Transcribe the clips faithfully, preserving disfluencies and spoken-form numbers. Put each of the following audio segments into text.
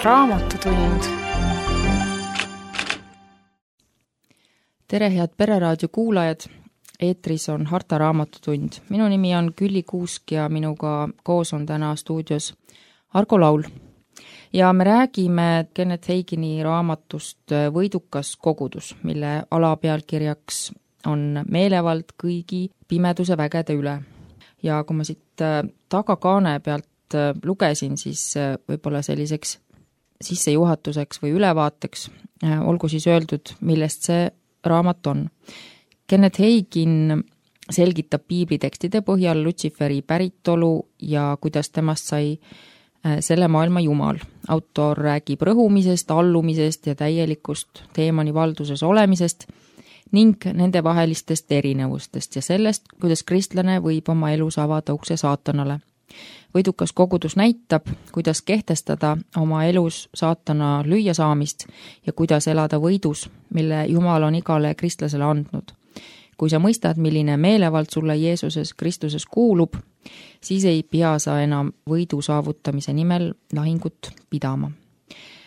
Raamatutund. Tere, head Pereraadio kuulajad! Eetris on Harta Raamatutund. Minu nimi on Külli Kuusk ja minuga koos on täna stuudios Argo Laul. Ja me räägime Kenneth Hagini raamatust Võidukas kogudus, mille alapealkirjaks on meelevald kõigi pimeduse vägede üle. Ja kui ma siit tagakaane pealt lugesin, siis võib-olla selliseks sissejuhatuseks või ülevaateks olgu siis öeldud, millest see raamat on. Kenneth Hagin selgitab piiblitekstide põhjal Lutsiferi päritolu ja kuidas temast sai selle maailma jumal. Autor räägib rõhumisest, allumisest ja täielikust teemani valduses olemisest ning nende vahelistest erinevustest ja sellest, kuidas kristlane võib oma elus avada ukse saatanale. Võidukas kogudus näitab, kuidas kehtestada oma elus saatana lüüa saamist ja kuidas elada võidus, mille Jumal on igale kristlasele andnud. Kui sa mõistad, milline meelevald sulle Jeesuses Kristuses kuulub, siis ei pea sa enam võidu saavutamise nimel lahingut pidama.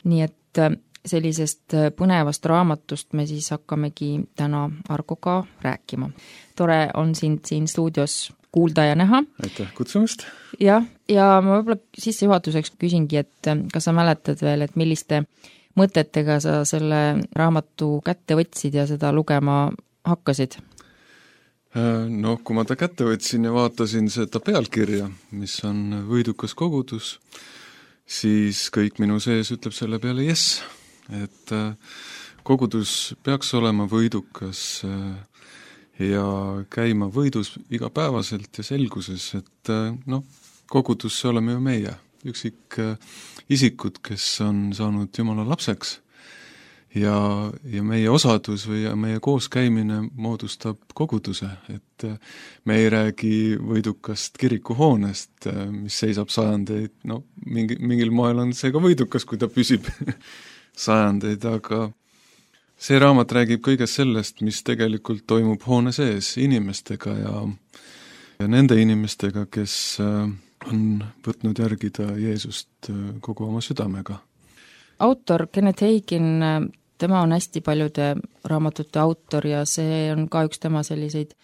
Nii et sellisest põnevast raamatust me siis hakkamegi täna Argoga rääkima. Tore on sind siin stuudios kuulda ja näha. Aitäh kutsumast. Ja, ja ma võib-olla sissejuhatuseks küsingi, et kas sa mäletad veel, et milliste mõtetega sa selle raamatu kätte võtsid ja seda lugema hakkasid? No, kui ma ta kätte võtsin ja vaatasin seda pealkirja, mis on Võidukas kogudus, siis kõik minu sees ütleb selle peale yes, et kogudus peaks olema võidukas ja käima võidus igapäevaselt ja selguses, et noh, kogudusse oleme ju meie, üksik isikud, kes on saanud Jumala lapseks ja, ja meie osadus või meie kooskäimine moodustab koguduse, et me ei räägi võidukast kirikuhoonest, mis seisab sajandeid, no mingi, mingil moel on see ka võidukas, kui ta püsib sajandeid, aga see raamat räägib kõigest sellest, mis tegelikult toimub hoone sees inimestega ja, ja nende inimestega, kes on võtnud järgida Jeesust kogu oma südamega. Autor Kenneth Hagin, tema on hästi paljude raamatute autor ja see on ka üks tema selliseid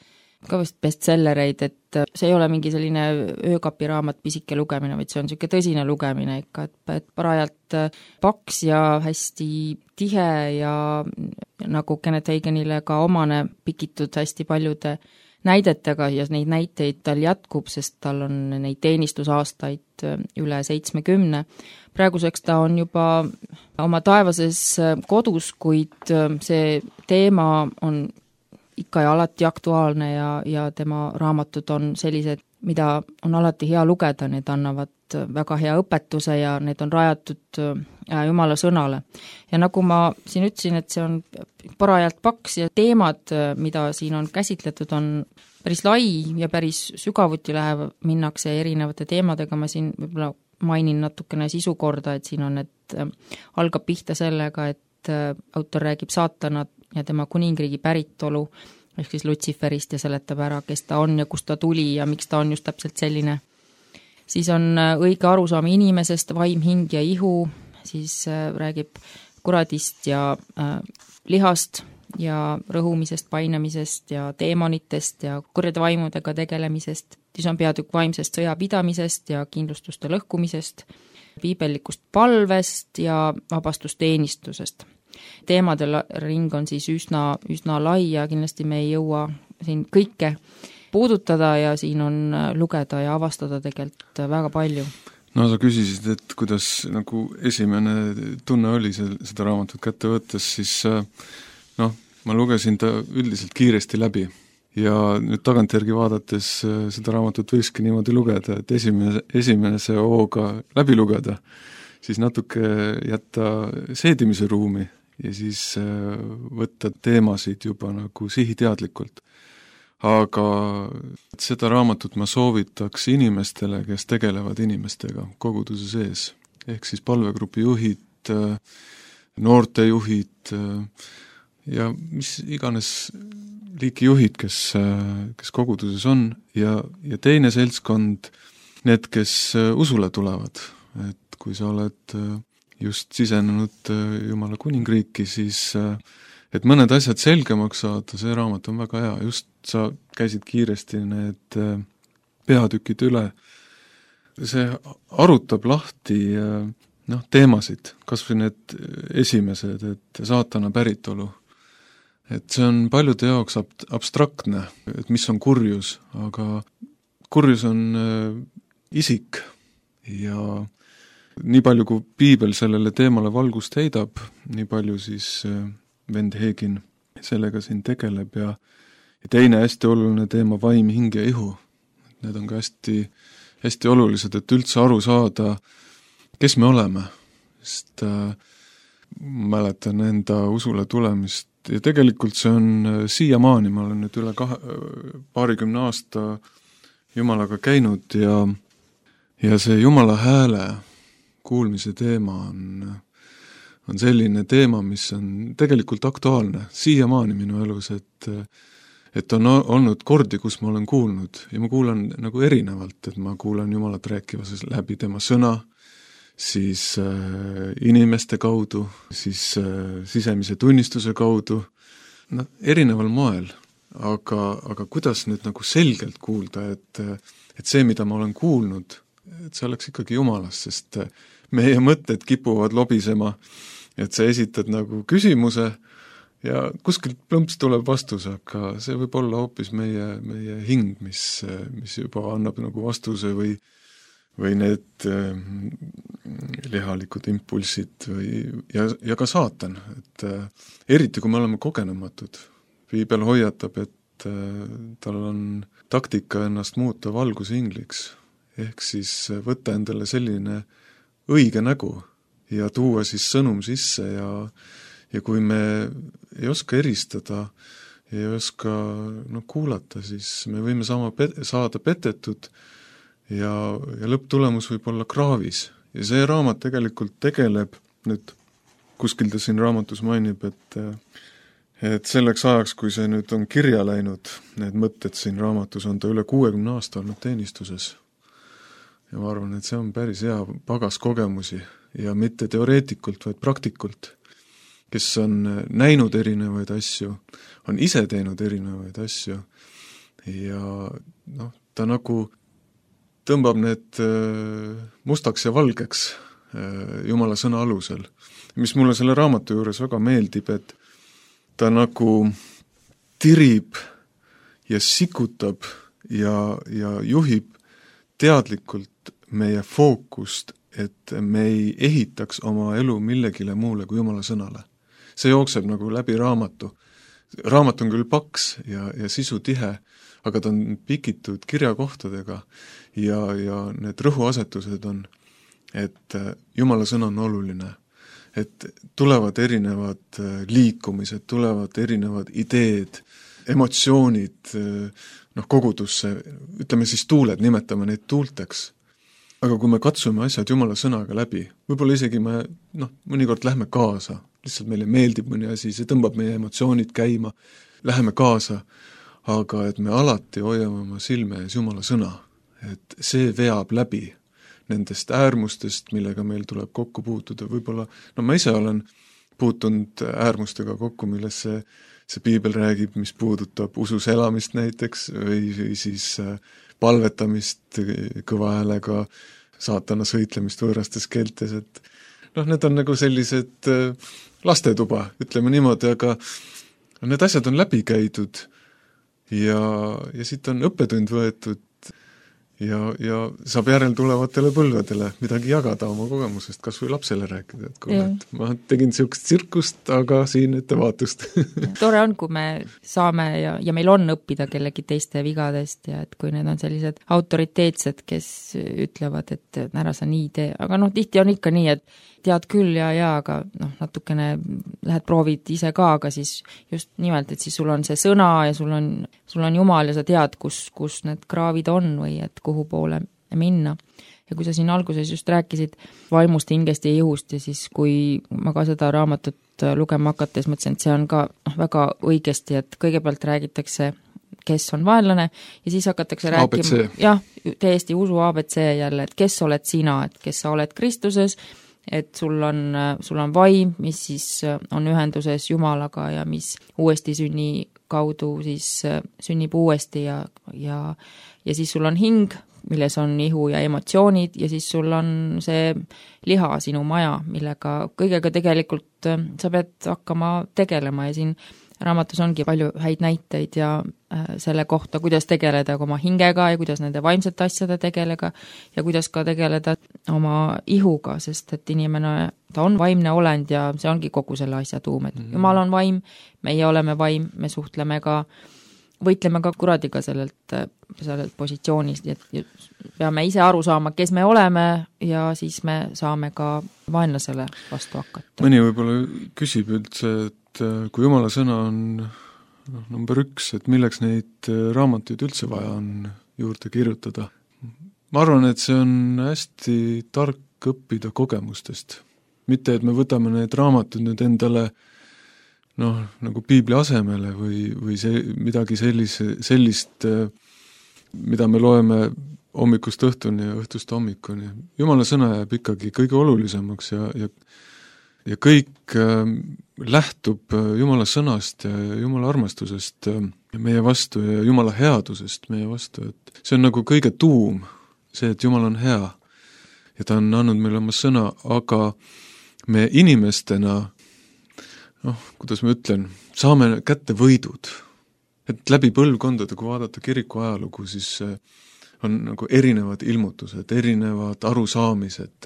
ka vist bestsellereid, et see ei ole mingi selline öökapiraamat pisike lugemine, vaid see on selline tõsine lugemine ikka, et, et parajalt paks ja hästi tihe ja nagu Kenneth Haginile ka omane pikitud hästi paljude näidetega ja neid näiteid tal jätkub, sest tal on neid teenistusaastaid üle seitsmekümne. Praeguseks ta on juba oma taevases kodus, kuid see teema on ikka ja alati aktuaalne ja, ja tema raamatud on sellised, mida on alati hea lugeda, need annavad väga hea õpetuse ja need on rajatud Jumala sõnale. Ja nagu ma siin ütlesin, et see on parajalt paks ja teemad, mida siin on käsitletud, on päris lai ja päris sügavuti läheb, minnakse erinevate teemadega, ma siin võib-olla mainin natukene sisukorda, et siin on, et algab pihta sellega, et autor räägib saatanat ja tema kuningriigi päritolu, ehk siis Lutsiferist ja seletab ära, kes ta on ja kust ta tuli ja miks ta on just täpselt selline. Siis on õige arusaam inimesest, vaim, hing ja ihu, siis räägib kuradist ja äh, lihast ja rõhumisest, painamisest ja teemonitest ja kurjade vaimudega tegelemisest. Siis on peatükk vaimsest sõjapidamisest ja kindlustuste lõhkumisest, piibellikust palvest ja vabastusteenistusest. Teemade ring on siis üsna, üsna lai ja kindlasti me ei jõua siin kõike puudutada ja siin on lugeda ja avastada tegelikult väga palju. No sa küsisid, et kuidas nagu esimene tunne oli seda raamatut kätte võttes, siis noh, ma lugesin ta üldiselt kiiresti läbi ja nüüd tagantjärgi vaadates seda raamatut võikski niimoodi lugeda, et esimene, esimese hooga läbi lugeda, siis natuke jätta seedimise ruumi ja siis võtta teemasid juba nagu sihiteadlikult. Aga seda raamatut ma soovitaks inimestele, kes tegelevad inimestega koguduse sees. Ehk siis palvegrupi juhid, noortejuhid ja mis iganes liiki juhid, kes, kes koguduses on ja, ja teine seltskond, need, kes usule tulevad, et kui sa oled just sisenenud Jumala kuningriiki, siis et mõned asjad selgemaks saada, see raamat on väga hea, just sa käisid kiiresti need peatükid üle, see arutab lahti noh, teemasid, kas või need esimesed, et saatana päritolu. Et see on paljude jaoks ab- abstraktne, et mis on kurjus, aga kurjus on isik ja nii palju, kui piibel sellele teemale valgust heidab, nii palju siis vend Heegin sellega siin tegeleb ja, ja teine hästi oluline teema, vaim, hing ja ihu. Need on ka hästi, hästi olulised, et üldse aru saada, kes me oleme, sest äh, mäletan enda usule tulemist ja tegelikult see on siiamaani, ma olen nüüd üle kahe, paarikümne aasta Jumalaga käinud ja, ja see Jumala hääle kuulmise teema on, on selline teema, mis on tegelikult aktuaalne siiamaani minu elus, et et on olnud kordi, kus ma olen kuulnud ja ma kuulan nagu erinevalt, et ma kuulan Jumalat rääkivas läbi tema sõna, siis äh, inimeste kaudu, siis äh, sisemise tunnistuse kaudu, no erineval moel, aga, aga kuidas nüüd nagu selgelt kuulda, et, et see, mida ma olen kuulnud, et see oleks ikkagi Jumalast, sest meie mõtted kipuvad lobisema, et sa esitad nagu küsimuse ja kuskilt plõmps tuleb vastus, aga see võib olla hoopis meie, meie hing, mis, mis juba annab nagu vastuse või või need äh, lihalikud impulsid või, ja, ja ka saatan, et äh, eriti kui me oleme kogenematud. Piibel hoiatab, et äh, tal on taktika ennast muuta valguse ingliks, ehk siis võtta endale selline õige nägu ja tuua siis sõnum sisse ja, ja kui me ei oska eristada, ei oska no, kuulata, siis me võime sama pet- saada petetud ja, ja lõpptulemus võib olla kraavis. Ja see raamat tegelikult tegeleb, nüüd kuskil ta siin raamatus mainib, et, et selleks ajaks, kui see nüüd on kirja läinud, need mõtted siin raamatus, on ta üle kuuekümne aasta olnud teenistuses. Ja ma arvan, et see on päris hea pagas kogemusi ja mitte teoreetikult, vaid praktikult, kes on näinud erinevaid asju, on ise teinud erinevaid asju ja noh, ta nagu tõmbab need mustaks ja valgeks Jumala sõna alusel. Mis mulle selle raamatu juures väga meeldib, et ta nagu tirib ja sikutab ja, ja juhib teadlikult meie fookust, et me ei ehitaks oma elu millegile muule kui Jumala sõnale. See jookseb nagu läbi raamatu. Raamat on küll paks ja, ja sisu tihe, aga ta on pikitud kirjakohtadega ja, ja need rõhuasetused on, et Jumala sõna on oluline, et tulevad erinevad liikumised, tulevad erinevad ideed, emotsioonid noh, kogudusse, ütleme siis tuuled, nimetame neid tuulteks. Aga kui me katsume asjad Jumala sõnaga läbi, võib-olla isegi me noh, mõnikord lähme kaasa, lihtsalt meile meeldib mõni asi, see tõmbab meie emotsioonid käima, läheme kaasa, aga et me alati hoiame oma silme ees Jumala sõna, et see veab läbi nendest äärmustest, millega meil tuleb kokku puutuda, võib-olla, no ma ise olen puutunud äärmustega kokku, milles see, see piibel räägib, mis puudutab usus elamist näiteks või, või siis palvetamist kõva häälega, saatana sõitlemist võõrastes keeltes, et noh, need on nagu sellised lastetuba, ütleme niimoodi, aga need asjad on läbi käidud ja, ja siit on õppetund võetud ja, ja saab järel tulevatele põlvedele midagi jagada oma kogemusest, kas või lapsele rääkida, et kuule, et ma tegin niisugust tsirkust, aga siin ettevaatust. Tore on, kui me saame ja, ja meil on õppida kellegi teiste vigadest ja et kui need on sellised autoriteetsed, kes ütlevad, et ära sa nii tee, aga noh, tihti on ikka nii, et tead küll ja, ja, aga noh, natukene lähed proovid ise ka, aga siis just nimelt, et siis sul on see sõna ja sul on, sul on Jumal ja sa tead, kus, kus need kraavid on või et kuhu poole minna. Ja kui sa siin alguses just rääkisid vaimust, hingest ja ihust ja siis kui ma ka seda raamatut lugema hakates mõtlesin, et see on ka noh, väga õigesti, et kõigepealt räägitakse, kes on vaenlane ja siis hakatakse rääkima, jah, täiesti usu A B C jälle, et kes oled sina, et kes sa oled Kristuses et sul on, sul on vaim, mis siis on ühenduses Jumalaga ja mis uuesti sünni kaudu siis sünnib uuesti ja, ja, ja siis sul on hing, milles on ihu ja emotsioonid ja siis sul on see liha, sinu maja, millega kõigega tegelikult sa pead hakkama tegelema ja siin raamatus ongi palju häid näiteid ja selle kohta, kuidas tegeleda oma hingega ja kuidas nende vaimsete asjade tegelega ja kuidas ka tegeleda oma ihuga, sest et inimene, ta on vaimne olend ja see ongi kogu selle asja tuum, et mm-hmm. Jumal on vaim, meie oleme vaim, me suhtleme ka, võitleme ka kuradiga sellelt, sellelt positsioonist, et peame ise aru saama, kes me oleme ja siis me saame ka vaenlasele vastu hakata. Mõni võib-olla küsib üldse, et kui Jumala sõna on no, number üks, et milleks neid raamatuid üldse vaja on juurde kirjutada. Ma arvan, et see on hästi tark õppida kogemustest. Mitte, et me võtame need raamatud nüüd endale noh, nagu piibli asemele või, või see, midagi sellise, sellist, mida me loeme hommikust õhtuni ja õhtust hommikuni. Jumala sõna jääb ikkagi kõige olulisemaks ja, ja ja kõik äh, lähtub Jumala sõnast ja Jumala armastusest äh, meie vastu ja Jumala headusest meie vastu, et see on nagu kõige tuum, see, et Jumal on hea ja ta on andnud meile oma sõna, aga me inimestena, noh, kuidas ma ütlen, saame kätte võidud, et läbi põlvkondade, kui vaadata kiriku ajalugu, siis äh, on nagu erinevad ilmutused, erinevad arusaamised,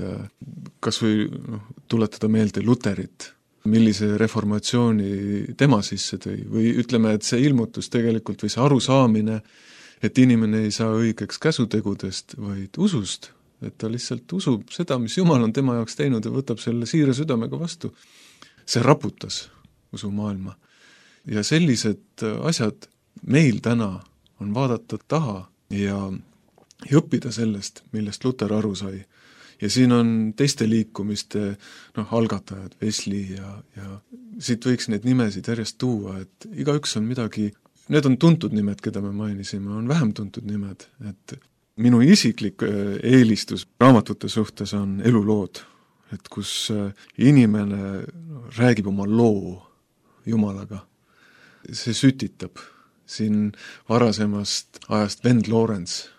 kas või noh, tuletada meelde Luterit, millise reformatsiooni tema sisse tõi, või ütleme, et see ilmutus tegelikult või see arusaamine, et inimene ei saa õigeks käsutegudest, vaid usust, et ta lihtsalt usub seda, mis Jumal on tema jaoks teinud ja võtab selle siire südamega vastu. See raputas usumaailma. Ja sellised asjad meil täna on vaadata taha ja ja õppida sellest, millest Luter aru sai. Ja siin on teiste liikumiste noh, algatajad, Wesley ja, ja siit võiks neid nimesid järjest tuua, et igaüks on midagi, need on tuntud nimed, keda me mainisime, on vähem tuntud nimed, et minu isiklik eelistus raamatute suhtes on elulood, et kus inimene räägib oma loo Jumalaga. See sütitab siin varasemast ajast Vend Lawrence,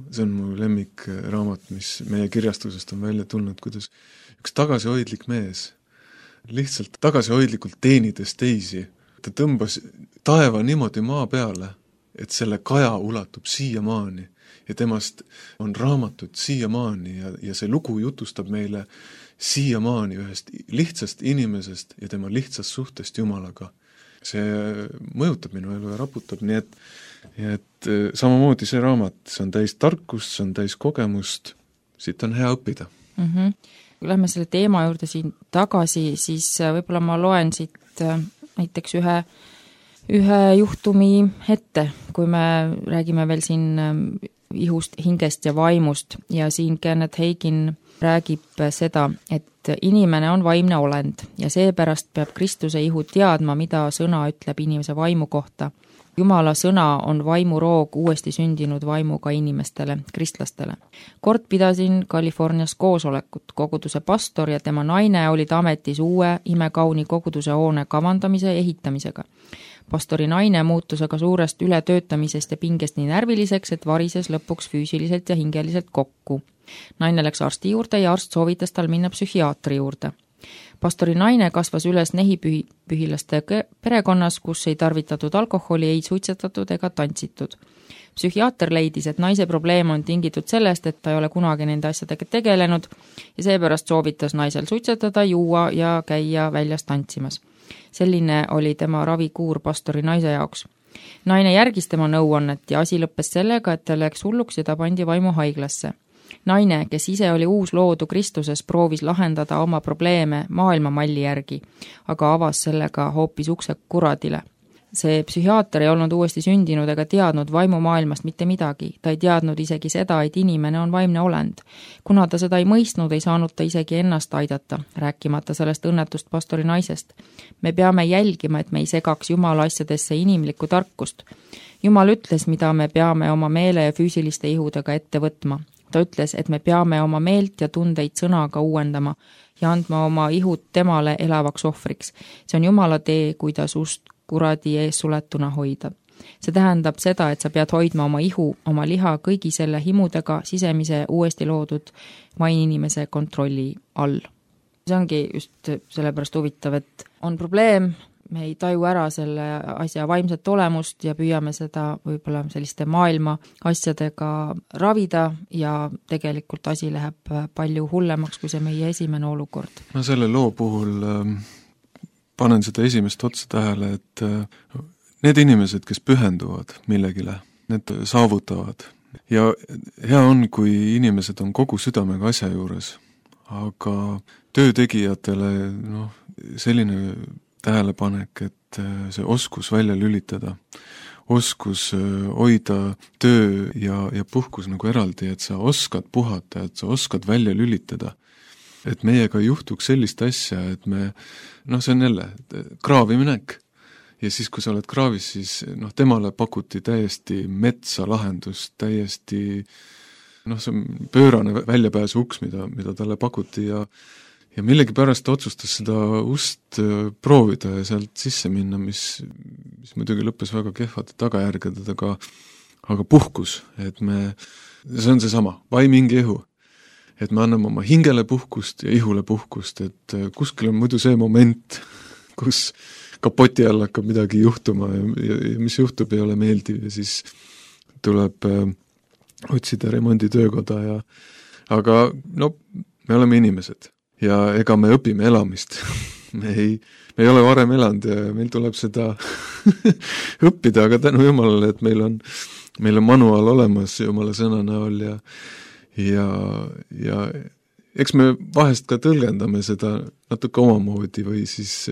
see on mu lemmik raamat, mis meie kirjastusest on välja tulnud, kuidas üks tagasihoidlik mees, lihtsalt tagasihoidlikult teenides teisi, ta tõmbas taeva niimoodi maa peale, et selle kaja ulatub siiamaani ja temast on raamatud siiamaani ja, ja see lugu jutustab meile siiamaani ühest lihtsast inimesest ja tema lihtsast suhtest Jumalaga. See mõjutab minu elu ja raputab, nii et ja et samamoodi see raamat, see on täis tarkust, see on täis kogemust, siit on hea õppida. Mm-hmm. Kui lähme selle teema juurde siin tagasi, siis võib-olla ma loen siit näiteks ühe, ühe juhtumi ette, kui me räägime veel siin ihust, hingest ja vaimust ja siin Kenneth Hagin räägib seda, et inimene on vaimne olend ja seepärast peab Kristuse ihu teadma, mida sõna ütleb inimese vaimu kohta. Jumala sõna on vaimuroog uuesti sündinud vaimuga inimestele, kristlastele. Kord pidasin Californias koosolekut, koguduse pastor ja tema naine olid ametis uue imekauni koguduse hoone kavandamise ja ehitamisega. Pastori naine muutus aga suurest ületöötamisest ja pingest nii närviliseks, et varises lõpuks füüsiliselt ja hingeliselt kokku. Naine läks arsti juurde ja arst soovitas tal minna psühhiaatri juurde. Pastori naine kasvas üles nehipühilaste perekonnas, kus ei tarvitatud alkoholi, ei suitsetatud ega tantsitud. Psühhiaater leidis, et naise probleem on tingitud sellest, et ta ei ole kunagi nende asjadega tegelenud ja seepärast soovitas naisel suitsetada, juua ja käia väljas tantsimas. Selline oli tema ravikuur pastori naise jaoks. Naine järgis tema nõuannet ja asi lõppes sellega, et ta läks hulluks ja ta pandi vaimuhaiglasse. Naine, kes ise oli uus loodu Kristuses, proovis lahendada oma probleeme maailma malli järgi, aga avas sellega hoopis ukse kuradile. See psühhiaater ei olnud uuesti sündinud ega teadnud vaimumaailmast mitte midagi. Ta ei teadnud isegi seda, et inimene on vaimne olend. Kuna ta seda ei mõistnud, ei saanud ta isegi ennast aidata, rääkimata sellest õnnetust pastori naisest. Me peame jälgima, et me ei segaks Jumala asjadesse inimlikku tarkust. Jumal ütles, mida me peame oma meele ja füüsiliste ihudega ette võtma. Ta ütles, et me peame oma meelt ja tundeid sõnaga uuendama ja andma oma ihud temale elavaks ohvriks. See on Jumala tee, kuidas ust kuradi ees suletuna hoida. See tähendab seda, et sa pead hoidma oma ihu, oma liha kõigi selle himudega sisemise uuesti loodud maininimese kontrolli all. See ongi just sellepärast huvitav, et on probleem, me ei taju ära selle asja vaimset olemust ja püüame seda võib-olla selliste maailma asjadega ravida ja tegelikult asi läheb palju hullemaks, kui see meie esimene olukord. Ma selle loo puhul äh, panen seda esimest otsa tähele, et äh, need inimesed, kes pühenduvad millegile, need saavutavad. Ja hea on, kui inimesed on kogu südamega asja juures, aga töötegijatele noh, selline tähelepanek, et see oskus välja lülitada, oskus hoida töö ja, ja puhkus nagu eraldi, et sa oskad puhata, et sa oskad välja lülitada. Et meiega ei juhtuks sellist asja, et me, noh see on jälle kraavi minek ja siis, kui sa oled kraavis, siis noh, temale pakuti täiesti metsa lahendust, täiesti noh, see on pöörane väljapääsu uks, mida, mida talle pakuti ja ja millegi pärast otsustas seda ust proovida ja sealt sisse minna, mis, mis muidugi lõppes väga kehvate tagajärgedega, aga, aga puhkus, et me, see on see sama, vaim, hing ja ihu. Et me anname oma hingele puhkust ja ihule puhkust, et kuskil on muidu see moment, kus kapoti all hakkab midagi juhtuma ja, ja, ja mis juhtub, ei ole meeldiv ja siis tuleb äh, otsida remonditöökoda ja aga no, me oleme inimesed. Ja ega me õpime elamist. me, ei, me ei ole varem elanud ja meil tuleb seda õppida, aga tänu Jumalale, et meil on, meil on manuaal olemas Jumala sõna näol ja, ja, ja eks me vahest ka tõlgendame seda natuke omamoodi või siis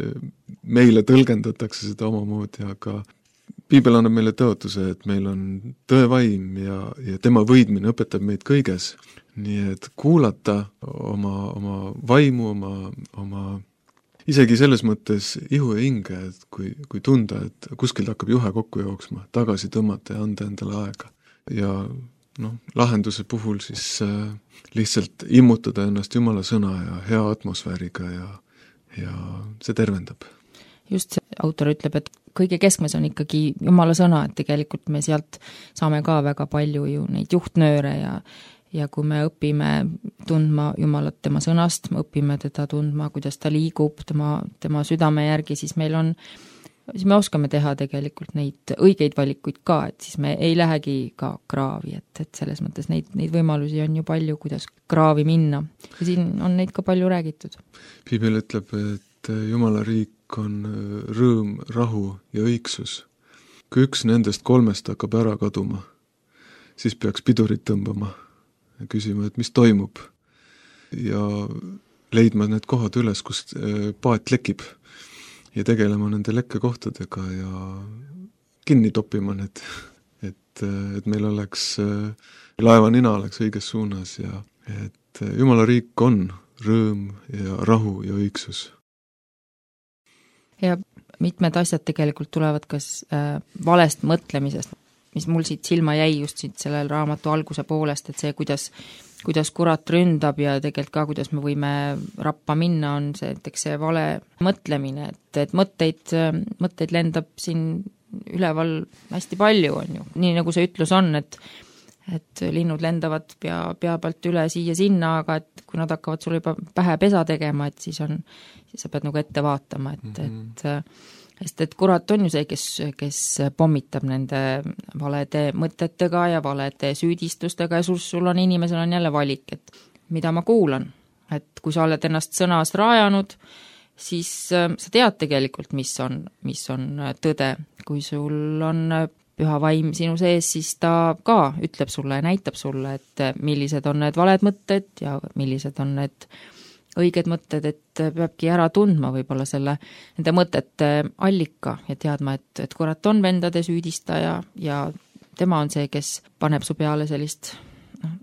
meile tõlgendatakse seda omamoodi, aga Piibel annab meile tõotuse, et meil on tõevaim ja, ja tema võidmine õpetab meid kõiges. Nii et kuulata oma, oma vaimu, oma, oma isegi selles mõttes ihu ja hinge, et kui, kui tunda, et kuskilt hakkab juhe kokku jooksma, tagasi tõmmata ja anda endale aega. Ja noh, lahenduse puhul siis äh, lihtsalt immutada ennast Jumala sõna ja hea atmosfääriga ja, ja see tervendab. Just see autor ütleb, et kõige keskmes on ikkagi Jumala sõna, et tegelikult me sealt saame ka väga palju ju neid juhtnööre ja, ja kui me õpime tundma Jumalat tema sõnast, me õpime teda tundma, kuidas ta liigub tema, tema südame järgi, siis meil on, siis me oskame teha tegelikult neid õigeid valikuid ka, et siis me ei lähegi ka kraavi, et, et selles mõttes neid, neid võimalusi on ju palju, kuidas kraavi minna. Ja siin on neid ka palju räägitud. Piibel ütleb, et Jumala riik on rõõm, rahu ja õigsus. Kui üks nendest kolmest hakkab ära kaduma, siis peaks pidurit tõmbama ja küsima, et mis toimub ja leidma need kohad üles, kus paat lekib ja tegelema nende lekkekohtadega ja kinni toppima need, et, et meil oleks, laeva nina oleks õiges suunas ja et Jumala riik on rõõm ja rahu ja õigsus. Ja mitmed asjad tegelikult tulevad kas äh, valest mõtlemisest, mis mul siit silma jäi just siit sellel raamatu alguse poolest, et see, kuidas, kuidas kurat ründab ja tegelikult ka, kuidas me võime rappa minna, on see, et see vale mõtlemine, et, et mõtteid, mõtteid lendab siin üleval hästi palju, on ju. Nii nagu see ütlus on, et et linnud lendavad pea, pea pealt üle siia-sinna, aga et kui nad hakkavad sulle juba pähe pesa tegema, et siis on, siis sa pead nagu ette vaatama, et, mm-hmm. et sest et kurat on ju see, kes, kes pommitab nende valede mõtetega ja valede süüdistustega ja sul, sul on inimesel on jälle valik, et mida ma kuulan, et kui sa oled ennast sõnas rajanud, siis sa tead tegelikult, mis on, mis on tõde, kui sul on püha vaim sinu sees, siis ta ka ütleb sulle ja näitab sulle, et millised on need valed mõtted ja millised on need õiged mõtted, et peabki ära tundma võib-olla selle, nende mõtete allika ja teadma, et, et kurat on vendade süüdistaja ja tema on see, kes paneb su peale sellist, noh,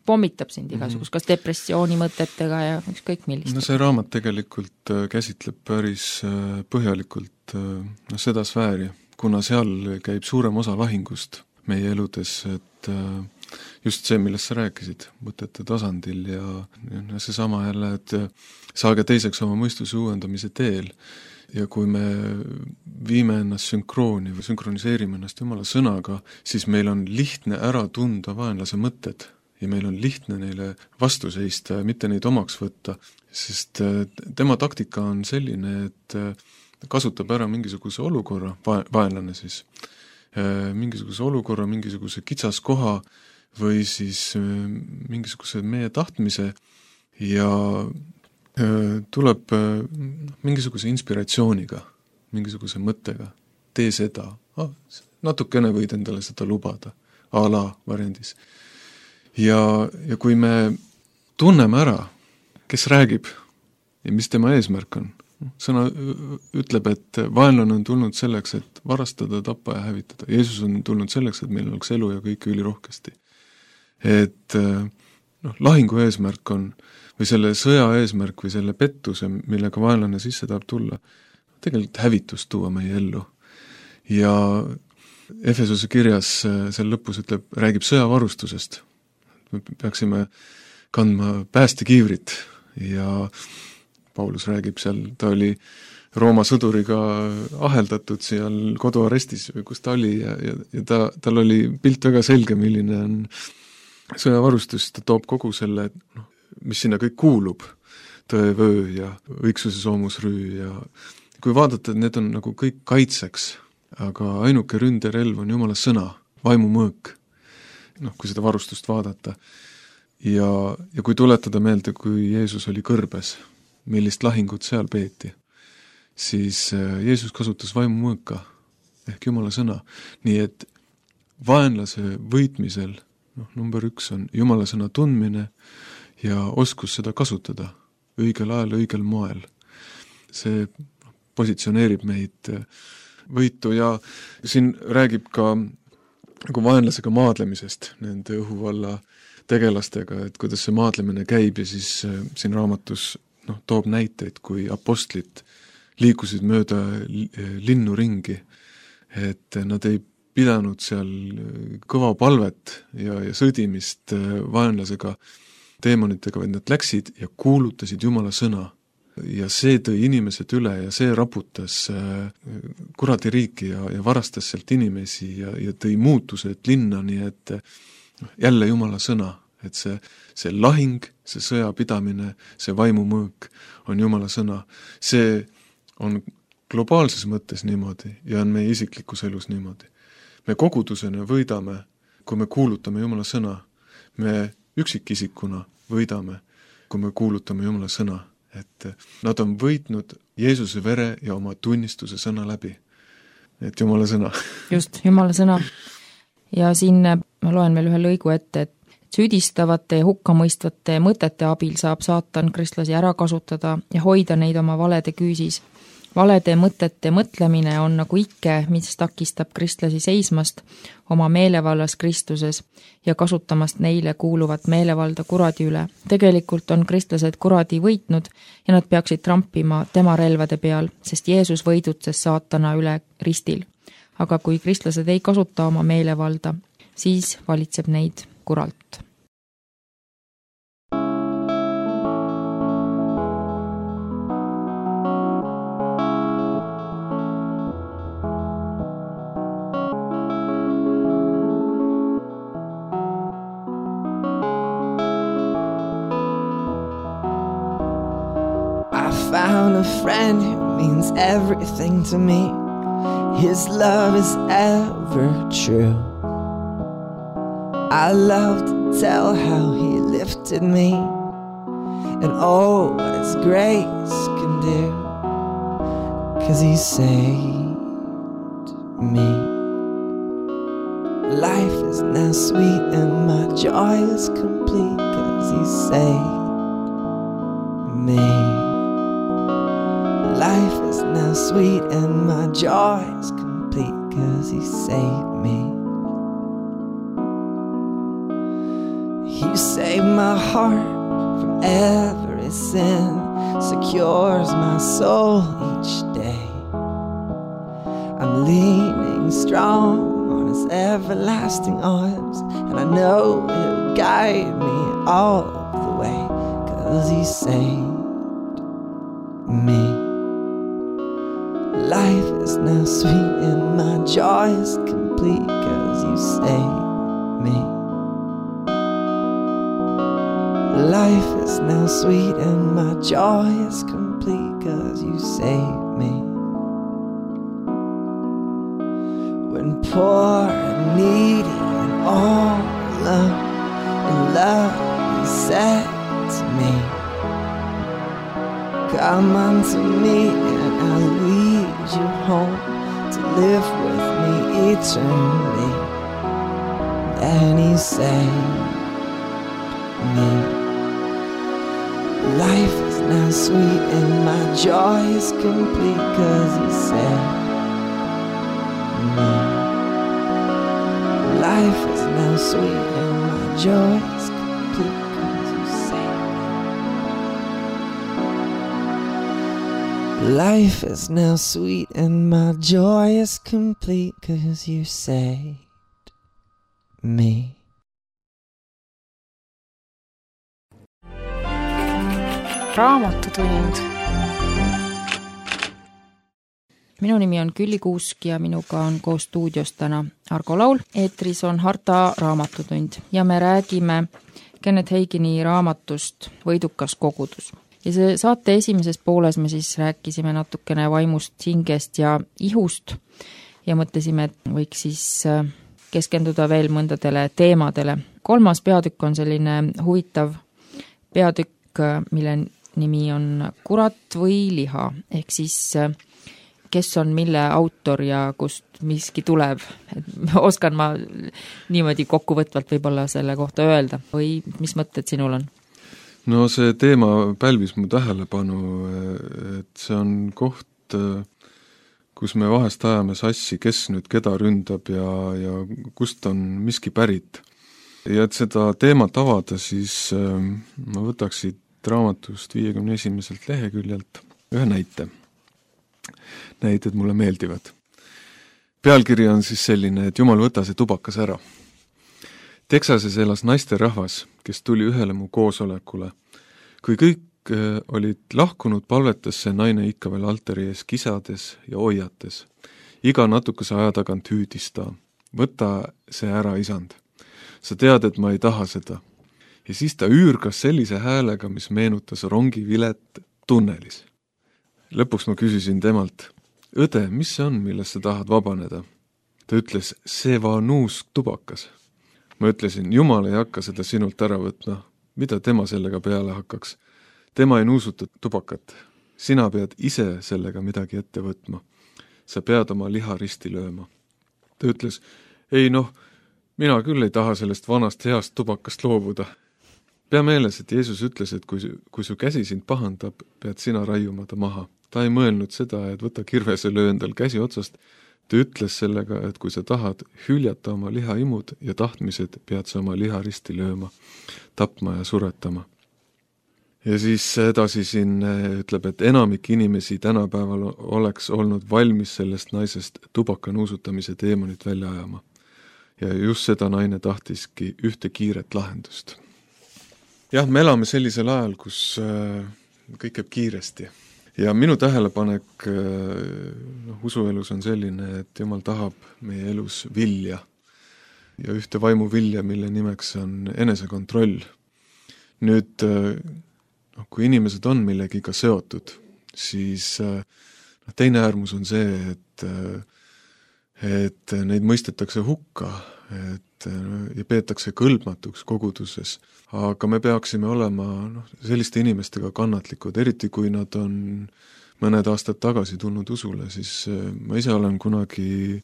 pommitab sind igasugust, kas depressiooni mõtetega ja ükskõik millist. No see raamat tegelikult käsitleb päris põhjalikult no, seda sfääri, kuna seal käib suurem osa lahingust meie eludes, et just see, millest sa rääkisid, mõtete tasandil ja, ja see sama jälle, et saage teiseks oma mõistuse uuendamise teel ja kui me viime ennast sünkrooni või sünkroniseerime ennast Jumala sõnaga, siis meil on lihtne ära tunda vaenlase mõtted ja meil on lihtne neile vastu seista ja mitte neid omaks võtta, sest tema taktika on selline, et kasutab ära mingisuguse olukorra, vaenlane siis, mingisuguse olukorra, mingisuguse kitsaskoha või siis mingisuguse meie tahtmise ja tuleb mingisuguse inspiratsiooniga, mingisuguse mõttega, tee seda, ah, natukene võid endale seda lubada, a la variandis. Ja, ja kui me tunneme ära, kes räägib ja mis tema eesmärk on, sõna ütleb, et vaenlane on tulnud selleks, et varastada, tappa ja hävitada. Jeesus on tulnud selleks, et meil oleks elu ja kõik ülirohkesti. Et noh, lahingu eesmärk on, või selle sõja eesmärk või selle pettuse, millega vaenlane sisse tahab tulla, tegelikult hävitust tuua meie ellu. Ja Efesose kirjas seal lõpus ütleb, räägib sõjavarustusest. Me peaksime kandma päästekiivrit ja Paulus räägib seal, ta oli Rooma sõduriga aheldatud seal koduarestis või kus ta oli ja, ja, ja ta, tal oli pilt väga selge, milline on sõjavarustus, ta toob kogu selle, noh, mis sinna kõik kuulub, tõevöö ja õigsuse soomusrüü ja kui vaadata, et need on nagu kõik kaitseks, aga ainuke ründerelv on Jumala sõna, vaimumõõk, noh, kui seda varustust vaadata. Ja, ja kui tuletada meelde, kui Jeesus oli kõrbes, millist lahingut seal peeti, siis Jeesus kasutas vaimumõõka ehk Jumala sõna. Nii et vaenlase võitmisel, noh, number üks on Jumala sõna tundmine ja oskus seda kasutada õigel ajal, õigel moel. See positsioneerib meid võitu ja siin räägib ka nagu vaenlasega maadlemisest, nende õhuvalla tegelastega, et kuidas see maadlemine käib ja siis siin raamatus noh, toob näiteid, kui apostlid liikusid mööda linnu ringi, et nad ei pidanud seal kõva palvet ja, ja sõdimist vaenlasega, teemonitega, vaid nad läksid ja kuulutasid Jumala sõna. Ja see tõi inimesed üle ja see raputas kuradi riiki ja, ja varastas sealt inimesi ja, ja tõi muutused linna, nii et jälle Jumala sõna, et see, see lahing, see sõjapidamine, see vaimumõõk on Jumala sõna. See on globaalses mõttes niimoodi ja on meie isiklikus elus niimoodi. Me kogudusena võidame, kui me kuulutame Jumala sõna. Me üksikisikuna võidame, kui me kuulutame Jumala sõna. Et nad on võitnud Jeesuse vere ja oma tunnistuse sõna läbi. Et Jumala sõna. Just, Jumala sõna. Ja siin ma loen veel ühe lõigu ette, et süüdistavate ja hukkamõistvate mõtete abil saab saatan kristlasi ära kasutada ja hoida neid oma valede küüsis. Valede mõtete mõtlemine on nagu ikke, mis takistab kristlasi seismast oma meelevallas Kristuses ja kasutamast neile kuuluvat meelevalda kuradi üle. Tegelikult on kristlased kuradi võitnud ja nad peaksid trampima tema relvade peal, sest Jeesus võidutses saatana üle ristil. Aga kui kristlased ei kasuta oma meelevalda, siis valitseb neid kuralt. Found a friend who means everything to me. His love is ever true. I love to tell how he lifted me and oh, what his grace can do, 'cause he saved me. Life is now sweet and my joy is complete, 'cause he saved me. Life is now sweet and my joy is complete, 'cause he saved me. He saved my heart from every sin, secures my soul each day. I'm leaning strong on his everlasting arms, and I know he'll guide me all the way, 'cause he saved me. Life is now sweet and my joy is complete, 'cause you saved me. Life is now sweet and my joy is complete, 'cause you saved me. When poor and needy and all alone, in love you said to me, come unto me and I'll lead you home to live with me eternally. And he saved me. Life is now sweet and my joy is complete, 'cause he saved me. Life is now sweet and my joy is complete, 'cause you saved me. Life is now sweet and my joy is complete, 'cause you saved me. Raamatutund. Minu nimi on Külli Kuusk ja minuga on koos stuudios täna Argo Laul. Eetris on Harta raamatutund ja me räägime Kenneth Hagini raamatust Võidukas kogudus. Ja see saate esimeses pooles me siis rääkisime natukene vaimust, hingest ja ihust ja mõtlesime, et võiks siis keskenduda veel mõndadele teemadele. Kolmas peatükk on selline huvitav peatükk, mille nimi on Kurat või liha, ehk siis kes on mille autor ja kust miski tuleb. Et oskan ma niimoodi kokkuvõtvalt võib-olla selle kohta öelda või mis mõtted sinul on? No see teema pälvis mu tähelepanu, et see on koht, kus me vahest ajame sassi, kes nüüd keda ründab ja, ja kust on miski pärit. Ja et seda teemat avada, siis ma võtaks siit raamatust viiekümne esimeselt leheküljelt ühe näite. Näited mulle meeldivad. Pealkiri on siis selline, et Jumal võta see tubakas ära. Texases elas naisterahvas, kes tuli ühele mu koosolekule. Kui kõik olid lahkunud, palvetas see naine ikka veel altari ees kisades ja hoiates. Iga natukese aja tagant hüüdis ta. Võta see ära, isand. Sa tead, et ma ei taha seda. Ja siis ta üürgas sellise häälega, mis meenutas rongivilet tunnelis. Lõpuks ma küsisin temalt, õde, mis see on, millest sa tahad vabaneda? Ta ütles, see vanuus tubakas. Ma ütlesin, Jumal ei hakka seda sinult ära võtma. Mida tema sellega peale hakkaks? Tema ei nuusuta tubakat. Sina pead ise sellega midagi ette võtma. Sa pead oma liha risti lööma. Ta ütles, ei noh, mina küll ei taha sellest vanast heast tubakast loobuda. Pea meeles, et Jeesus ütles, et kui, kui su käsi sind pahandab, pead sina raiuma ta maha. Ta ei mõelnud seda, et võta kirvese löö endal käsi otsast. Ta ütles sellega, et kui sa tahad hüljata oma lihaimud ja tahtmised, pead sa oma liha risti lööma, tapma ja suretama. Ja siis edasi siin ütleb, et enamik inimesi tänapäeval oleks olnud valmis sellest naisest tubaka nuusutamise teemonit välja ajama. Ja just seda naine tahtiski ühte kiiret lahendust. Jah, me elame sellisel ajal, kus kõik käib kiiresti. Ja minu tähelepanek no, usuelus on selline, et Jumal tahab meie elus vilja ja ühte vaimu vilja, mille nimeks on enesekontroll. Nüüd, no, kui inimesed on millegiga seotud, siis no, teine äärmus on see, et, et neid mõistetakse hukka et, ja peetakse kõlbmatuks koguduses. Aga me peaksime olema no, selliste inimestega kannatlikud, eriti kui nad on mõned aastad tagasi tulnud usule, siis ma ise olen kunagi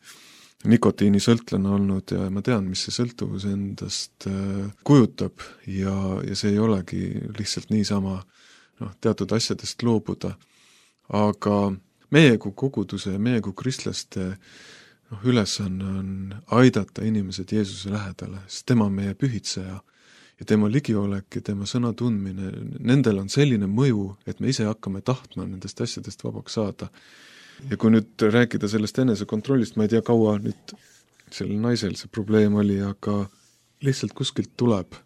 nikotiinisõltlane olnud ja ma tean, mis see sõltuvus endast kujutab ja, ja see ei olegi lihtsalt niisama no, teatud asjadest loobuda. Aga meie kui koguduse ja meie kui kristlaste no, ülesanne on aidata inimesed Jeesuse lähedale, sest tema on meie pühitseja. Ja tema ligiolek ja tema sõna tundmine, nendel on selline mõju, et me ise hakkame tahtma nendest asjadest vabaks saada. ja kui nüüd rääkida sellest enesekontrollist, ma ei tea, kaua nüüd sellel naisel see probleem oli, aga lihtsalt kuskilt tuleb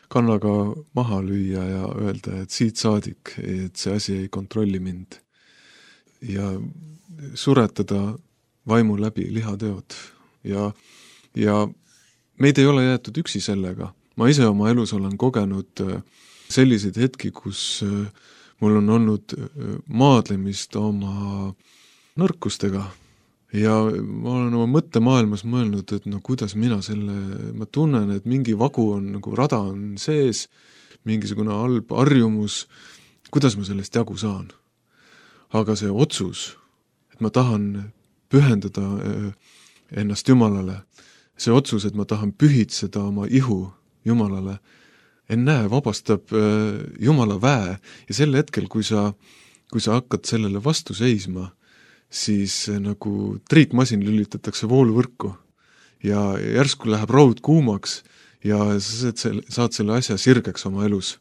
kannaga maha lüüa ja öelda, et siit saadik, et see asi ei kontrolli mind. Ja suretada vaimu läbi lihateod. Ja, ja meid ei ole jäetud üksi sellega. Ma ise oma elus olen kogenud selliseid hetki, kus mul on olnud maadlemist oma nõrkustega. Ja ma olen oma mõttemaailmas mõelnud, et no kuidas mina selle, ma tunnen, et mingi vagu on, nagu rada on sees, mingisugune halb harjumus, kuidas ma sellest jagu saan. Aga see otsus, et ma tahan pühendada ennast Jumalale, see otsus, et ma tahan pühitseda oma ihu Jumalale, ennäe, vabastab Jumala väe ja sel hetkel, kui sa, kui sa hakkad sellele vastu seisma, siis nagu triikmasin lülitatakse vooluvõrku ja järsku läheb raud kuumaks ja sa saad selle asja sirgeks oma elus.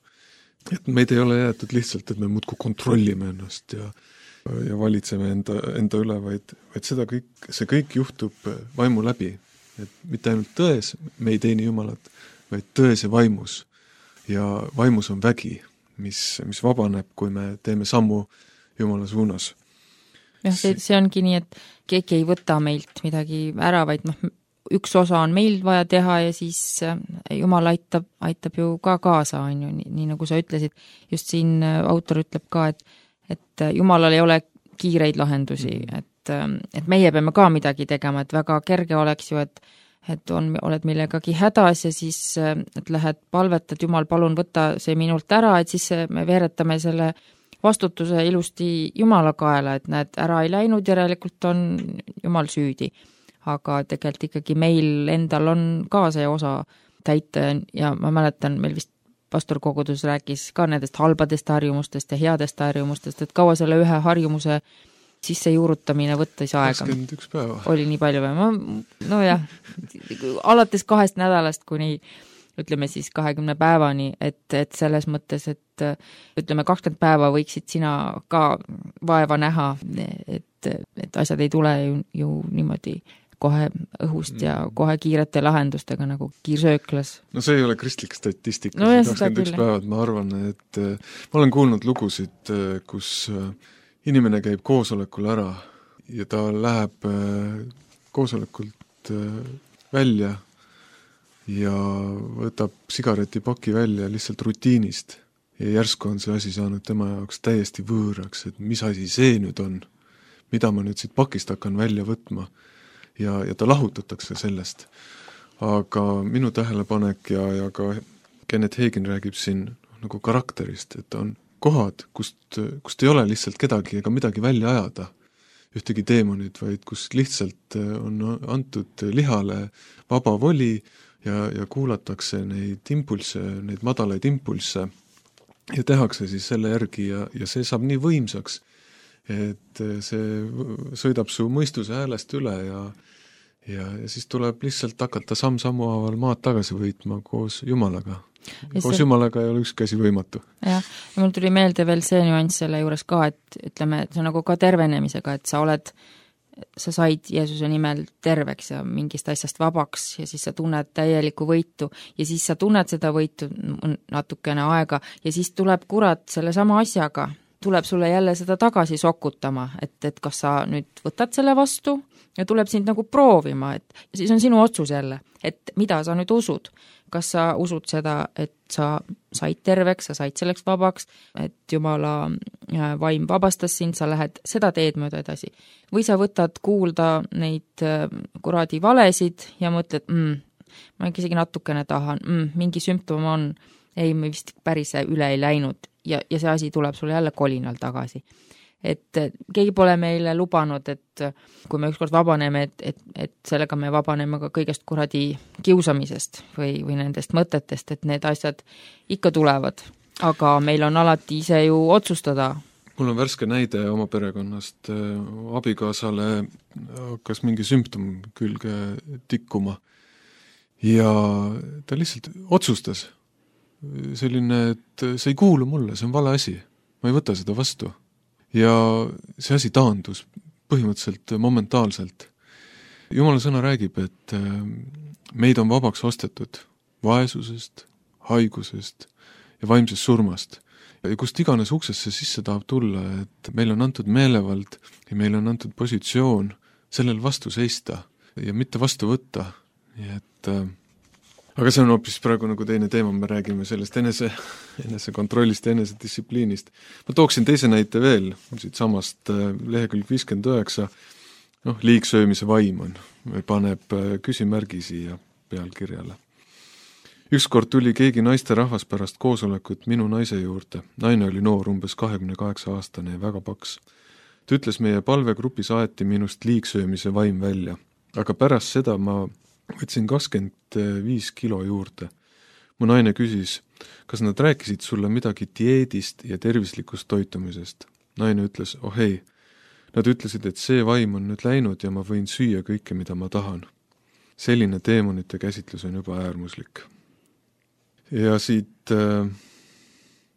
Et meid ei ole jäetud lihtsalt, et me muudkui kontrollime ennast ja, ja valitseme enda, enda üle, vaid, vaid seda kõik, see kõik juhtub vaimu läbi. Et mitte ainult tões, me ei teeni Jumalat, vaid tões ja vaimus. Ja vaimus on vägi, mis, mis vabaneb, kui me teeme sammu Jumala suunas. jah, see, see ongi nii, et keegi ei võta meilt midagi ära, vaid noh, üks osa on meil vaja teha ja siis Jumal aitab, aitab ju ka kaasa, on ju, nii, nii nagu sa ütlesid. Just siin autor ütleb ka, et, et Jumalal ei ole kiireid lahendusi, et, et meie peame ka midagi tegema, et väga kerge oleks ju, et, et on, oled millegagi hädas ja siis et lähed palvetad, Jumal, palun võtta see minult ära, et siis me veeretame selle vastutuse ilusti Jumala kaela, et näed, ära ei läinud, järelikult on Jumal süüdi. Aga tegelikult ikkagi meil endal on ka see osa täita ja ma mäletan, meil vist pastorkogudus rääkis ka nendest halbadest harjumustest ja headest harjumustest, et kaua selle ühe harjumuse sisse juurutamine võttis aega. kakskümmend üks päeva. Oli nii palju või? Ma, no jah, alates kahest nädalast kuni ütleme siis kahekümne päevani, et, et selles mõttes, et ütleme kakskümmend päeva võiksid sina ka vaeva näha, et, et asjad ei tule ju, ju niimoodi kohe õhust ja kohe kiirete lahendustega nagu kiirsööklas. No see ei ole kristlik statistika, no, kakskümmend üks päevad, ma arvan, et ma olen kuulnud lugusid, kus inimene käib koosolekul ära ja ta läheb koosolekult välja ja võtab sigaretipaki välja lihtsalt rutiinist ja järsku on see asi saanud tema jaoks täiesti võõraks, et mis asi see nüüd on, mida ma nüüd siit pakist hakkan välja võtma ja, ja ta lahutatakse sellest. Aga minu tähelepanek ja, ja ka Kenneth Hagin räägib siin nagu karakterist, et on kohad, kust, kust ei ole lihtsalt kedagi ega midagi välja ajada, ühtegi teemonid, vaid kus lihtsalt on antud lihale vaba voli ja, ja kuulatakse neid impulse, neid madalaid impulse ja tehakse siis selle järgi ja, ja see saab nii võimsaks, et see sõidab su mõistuse häälest üle ja, ja, ja siis tuleb lihtsalt hakata samm-sammu haaval maad tagasi võitma koos Jumalaga. Ja koos see... Jumalaga ei ole ükski asi võimatu. Jah, ja mul tuli meelde veel see nüanss selle juures ka, et ütleme, et see on nagu ka tervenemisega, et sa oled sa said Jeesuse nimel terveks ja mingist asjast vabaks ja siis sa tunned täielikku võitu ja siis sa tunned seda võitu natukene aega ja siis tuleb kurat selle sama asjaga, tuleb sulle jälle seda tagasi sokutama, et, et kas sa nüüd võtad selle vastu ja tuleb sind nagu proovima, et siis on sinu otsus jälle, et mida sa nüüd usud. Kas sa usud seda, et sa said terveks, sa said selleks vabaks, et Jumala vaim vabastas sind, sa lähed seda teed mööda edasi. Või sa võtad kuulda neid kuradi valesid ja mõtled, mm, ma isegi natukene tahan, mm, mingi sümptom on, ei, me vist päris üle ei läinud ja, ja see asi tuleb sulle jälle kolinal tagasi. Et keegi pole meile lubanud, et kui me ükskord vabaneme, et, et, et sellega me vabaneme ka kõigest kuradi kiusamisest või, või nendest mõtetest, et need asjad ikka tulevad. Aga meil on alati ise ju otsustada. Mul on värske näide oma perekonnast. Abikaasale hakkas mingi sümptom külge tikkuma ja ta lihtsalt otsustas selline, et see ei kuulu mulle, see on vale asi. Ma ei võta seda vastu. Ja see asi taandus põhimõtteliselt momentaalselt. Jumala sõna räägib, et meid on vabaks ostetud vaesusest, haigusest ja vaimsest surmast. Ja kust iganes uksesse sisse tahab tulla, et meil on antud meelevald ja meil on antud positsioon sellel vastu seista ja mitte vastu võtta. Nii et, äh, aga see on hoopis praegu nagu teine teema, me räägime sellest enese, enese kontrollist ja enese distsipliinist. Ma tooksin teise näite veel, siit samast äh, lehekülg viiskümmend üheksa, noh, liigsöömise vaim on, paneb äh, küsimärgi siia pealkirjale. Ükskord tuli keegi naisterahvas pärast koosolekut minu naise juurde. Naine oli noor, umbes kahekümne kaheksa aastane ja väga paks. Ta ütles, meie palvegrupis aeti minust liigsöömise vaim välja, aga pärast seda ma võtsin kakskümmend viis kilo juurde. Mu naine küsis, kas nad rääkisid sulle midagi dieedist ja tervislikust toitumisest. Naine ütles, oh ei, nad ütlesid, et see vaim on nüüd läinud ja ma võin süüa kõike, mida ma tahan. Selline teemonite käsitlus on juba äärmuslik. Ja siit äh,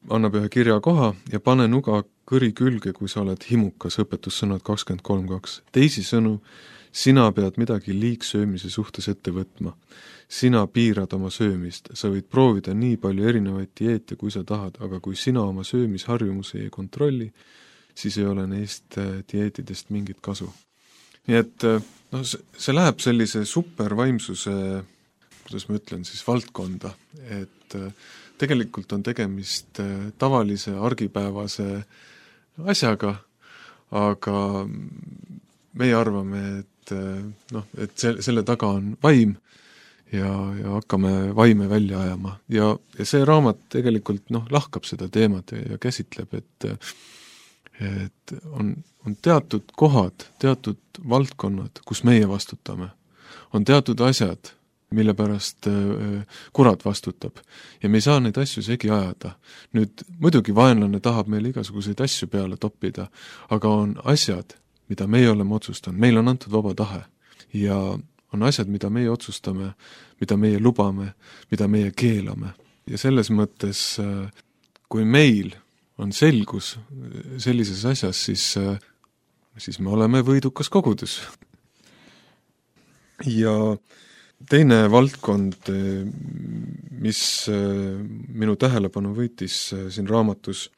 annab ühe kirja koha ja pane nuga kõri külge, kui sa oled himukas, õpetussõnad kakskümmend kolm kaks. Teisi sõnu, sina pead midagi liigsöömise suhtes ette võtma. Sina piirad oma söömist. Sa võid proovida nii palju erinevaid dieete, kui sa tahad, aga kui sina oma söömisharjumusi ei kontrolli, siis ei ole neist dieetidest mingit kasu. Nii et no, see läheb sellise supervaimsuse, kuidas ma ütlen, siis valdkonda, et tegelikult on tegemist tavalise argipäevase asjaga, aga meie arvame, et, noh, et selle, selle taga on vaim ja, ja hakkame vaime välja ajama. Ja, ja see raamat tegelikult noh, lahkab seda teemat ja, ja käsitleb, et, et on, on teatud kohad, teatud valdkonnad, kus meie vastutame. On teatud asjad, mille pärast kurat vastutab. Ja me ei saa neid asju segi ajada. Nüüd muidugi vaenlane tahab meil igasuguseid asju peale toppida, aga on asjad, mida meie oleme otsustanud. Meil on antud vaba tahe. Ja on asjad, mida meie otsustame, mida meie lubame, mida meie keelame. Ja selles mõttes, kui meil on selgus sellises asjas, siis, siis me oleme võidukas kogudus. Ja teine valdkond, mis minu tähelepanu võitis siin raamatus,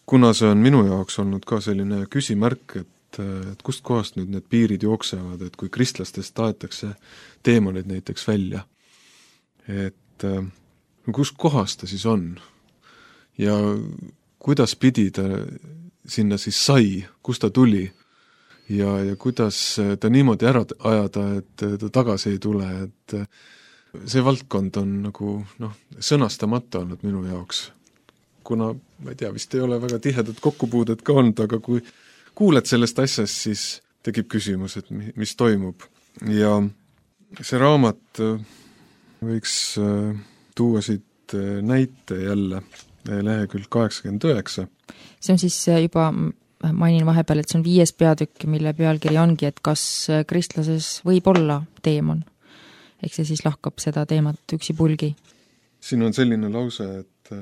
kuna see on minu jaoks olnud ka selline küsimärk, et, et kust kohast nüüd need piirid jooksevad, et kui kristlastest taetakse teemonid näiteks välja, et kust kohast ta siis on ja kuidas pidi ta sinna siis sai, kust ta tuli ja, ja kuidas ta niimoodi ära ajada, et ta tagasi ei tule, et see valdkond on nagu noh, sõnastamata olnud minu jaoks. Kuna, ma ei tea, vist ei ole väga tihedat kokkupuudet ka olnud, aga kui kuuled sellest asjast, siis tekib küsimus, et mis toimub. Ja see raamat võiks tuua siit näite jälle, lehekülg kaheksakümmend üheksa. See on siis juba mainin vahepeal, et see on viies peatükk, mille pealkiri ongi, et kas kristlases võib olla teemon. Ehk see siis lahkab seda teemat üksipulgi. Siin on selline lause, et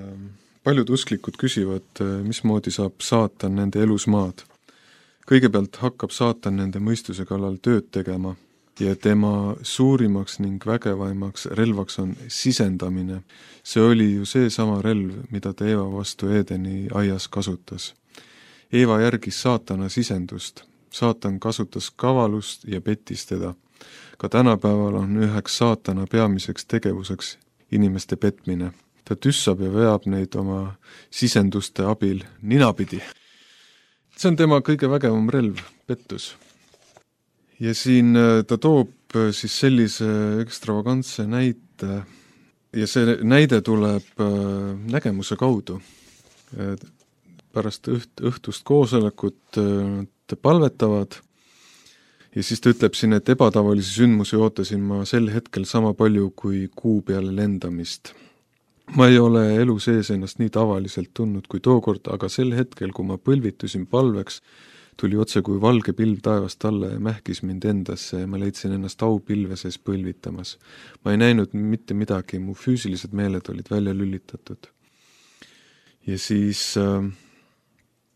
paljud usklikud küsivad, mismoodi saab saatan nende elus maad. Kõigepealt hakkab saatan nende mõistuse kallal tööd tegema ja tema suurimaks ning vägevaimaks relvaks on sisendamine. See oli ju see sama relv, mida ta Eeva vastu Eedeni aias kasutas. Eeva järgis saatana sisendust. Saatan kasutas kavalust ja pettis teda. Ka tänapäeval on üheks saatana peamiseks tegevuseks inimeste petmine. Ta tüssab ja veab neid oma sisenduste abil ninapidi. See on tema kõige vägevam relv, pettus. Ja siin ta toob siis sellise ekstravagantse näite ja see näide tuleb nägemuse kaudu. Pärast õht, õhtust koosolekut te palvetavad ja siis ta ütleb siin, et ebatavalisi sündmusi ootasin ma sel hetkel sama palju kui kuu peale lendamist. Ma ei ole elu sees ennast nii tavaliselt tundnud kui tookord, aga sel hetkel, kui ma põlvitusin palveks, tuli otse kui valge pilv taevast alla ja mähkis mind endasse ja ma leidsin ennast aupilve sees põlvitamas. Ma ei näinud mitte midagi, mu füüsilised meeled olid välja lülitatud. Ja siis äh,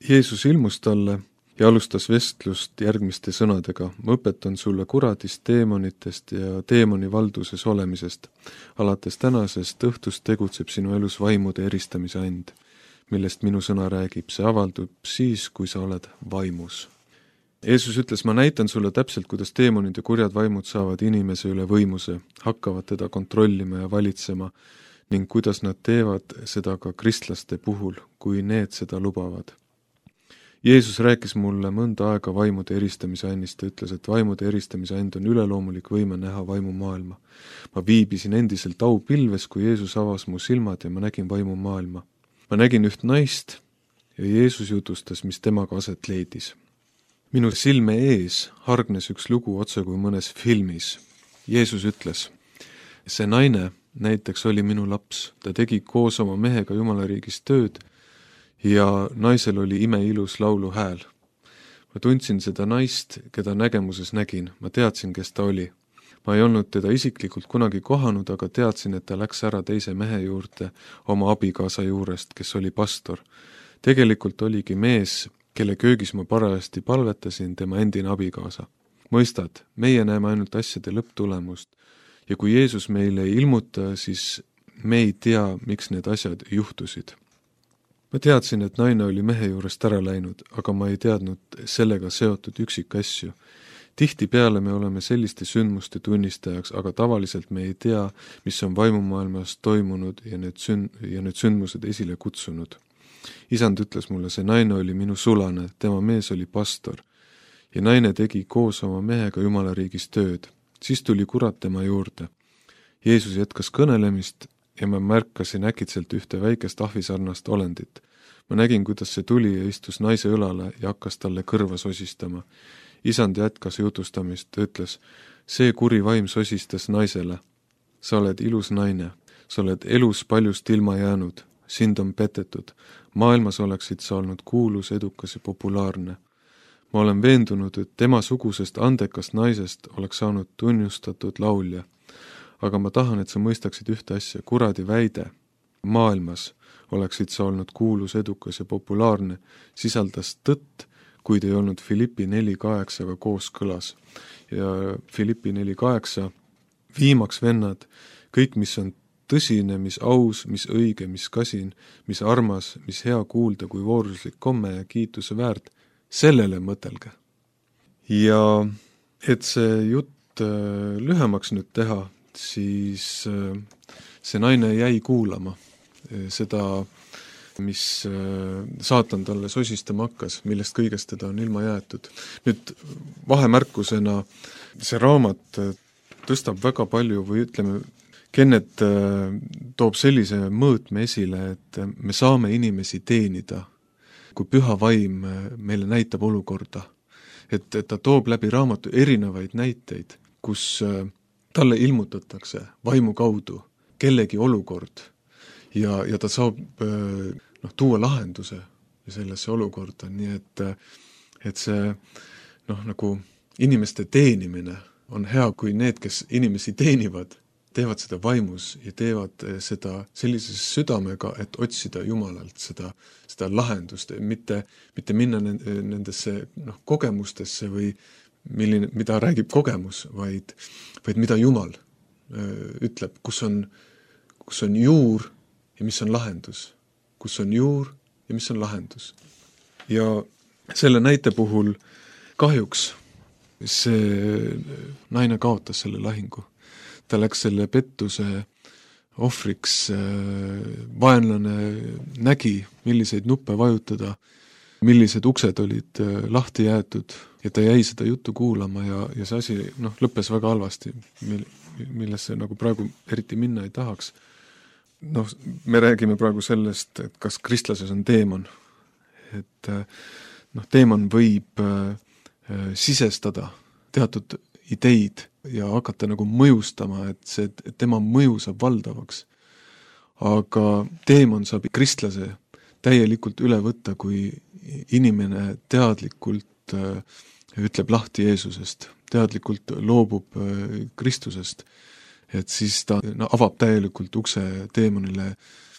Jeesus ilmus talle ja alustas vestlust järgmiste sõnadega. Ma õpetan sulle kuradist, teemonitest ja teemoni valduses olemisest. Alates tänasest õhtust tegutseb sinu elus vaimude eristamise and, millest minu sõna räägib. See avaldub siis, kui sa oled vaimus. Jeesus ütles, ma näitan sulle täpselt, kuidas teemonid ja kurjad vaimud saavad inimese üle võimuse, hakkavad teda kontrollima ja valitsema ning kuidas nad teevad seda ka kristlaste puhul, kui need seda lubavad. Jeesus rääkis mulle mõnda aega vaimude eristamise annist, ta ütles, et vaimude eristamise and on üleloomulik võime näha vaimumaailma. Ma viibisin endiselt aupilves, kui Jeesus avas mu silmad ja ma nägin vaimumaailma. Ma nägin üht naist ja Jeesus jutustas, mis temaga aset leidis. Minu silme ees hargnes üks lugu otse kui mõnes filmis. Jeesus ütles, see naine näiteks oli minu laps, ta tegi koos oma mehega Jumalariigis tööd ja naisel oli imeilus laulu hääl. Ma tundsin seda naist, keda nägemuses nägin, ma teadsin, kes ta oli. Ma ei olnud teda isiklikult kunagi kohanud, aga teadsin, et ta läks ära teise mehe juurde oma abikaasa juurest, kes oli pastor. Tegelikult oligi mees, kelle köögis ma parajasti palvetasin, tema endine abikaasa. Mõistad, meie näeme ainult asjade lõpptulemust ja kui Jeesus meile ei ilmuta, siis me ei tea, miks need asjad juhtusid. Ma teadsin, et naine oli mehe juurest ära läinud, aga ma ei teadnud sellega seotud üksikasju. Tihtipeale me oleme selliste sündmuste tunnistajaks, aga tavaliselt me ei tea, mis on vaimumaailmas toimunud ja need, sün- ja need sündmused esile kutsunud. Isand ütles mulle, see naine oli minu sulane, tema mees oli pastor ja naine tegi koos oma mehega Jumalariigis tööd. Siis tuli kurat tema juurde. Jeesus jätkas kõnelemist ja ma märkasin äkitselt ühte väikest ahvisarnast olendit. Ma nägin, kuidas see tuli ja istus naise õlale ja hakkas talle kõrva sosistama. Isand jätkas jutustamist, ütles, see kuri vaim sosistas naisele. Sa oled ilus naine, sa oled elus paljust ilma jäänud, sind on petetud. Maailmas oleksid sa olnud kuulus, edukas ja populaarne. Ma olen veendunud, et tema sugusest andekast naisest oleks saanud tunnustatud laulja. Aga ma tahan, et sa mõistaksid ühte asja, kuradi väide. Maailmas oleksid sa olnud kuulus, edukas ja populaarne, sisaldas tõtt, kuid ei olnud Filippi neli kaheksaga kooskõlas. Ja Filippi neli kaheksa, viimaks vennad, kõik, mis on tõsine, mis aus, mis õige, mis kasin, mis armas, mis hea kuulda kui vooruslik komme ja kiituse väärt, sellele mõtelge. Ja et see jutt lühemaks nüüd teha, siis see naine jäi kuulama seda, mis saatan talle sosistama hakkas, millest kõigest teda on ilma jäetud. Nüüd vahemärkusena see raamat tõstab väga palju või ütleme, Kennet toob sellise mõõtme esile, et me saame inimesi teenida, kui püha vaim meile näitab olukorda. Et, et ta toob läbi raamatu erinevaid näiteid, kus talle ilmutatakse vaimu kaudu kellegi olukord ja, ja ta saab noh, tuua lahenduse sellesse olukorda, nii et, et see noh, nagu inimeste teenimine on hea, kui need, kes inimesi teenivad, teevad seda vaimus ja teevad seda sellises südamega, et otsida Jumalalt seda, seda lahendust, mitte, mitte minna nendesse noh, kogemustesse või milline, mida räägib kogemus, vaid, vaid mida Jumal öö, ütleb, kus on, kus on juur ja mis on lahendus. Kus on juur ja mis on lahendus. Ja selle näite puhul kahjuks see naine kaotas selle lahingu. Ta läks selle pettuse ohvriks, vaenlane nägi, milliseid nuppe vajutada, millised uksed olid lahti jäetud ja ta jäi seda juttu kuulama ja, ja see asi noh, lõppes väga halvasti, millesse nagu praegu eriti minna ei tahaks. Noh, me räägime praegu sellest, et kas kristlases on teemon. Et noh, teemon võib äh, sisestada teatud ideid ja hakata nagu mõjustama, et see, et tema mõju saab valdavaks. Aga teemon saab kristlase täielikult üle võtta, kui inimene teadlikult äh, ütleb lahti Jeesusest, teadlikult loobub äh, Kristusest, et siis ta no, avab täielikult ukse teemonile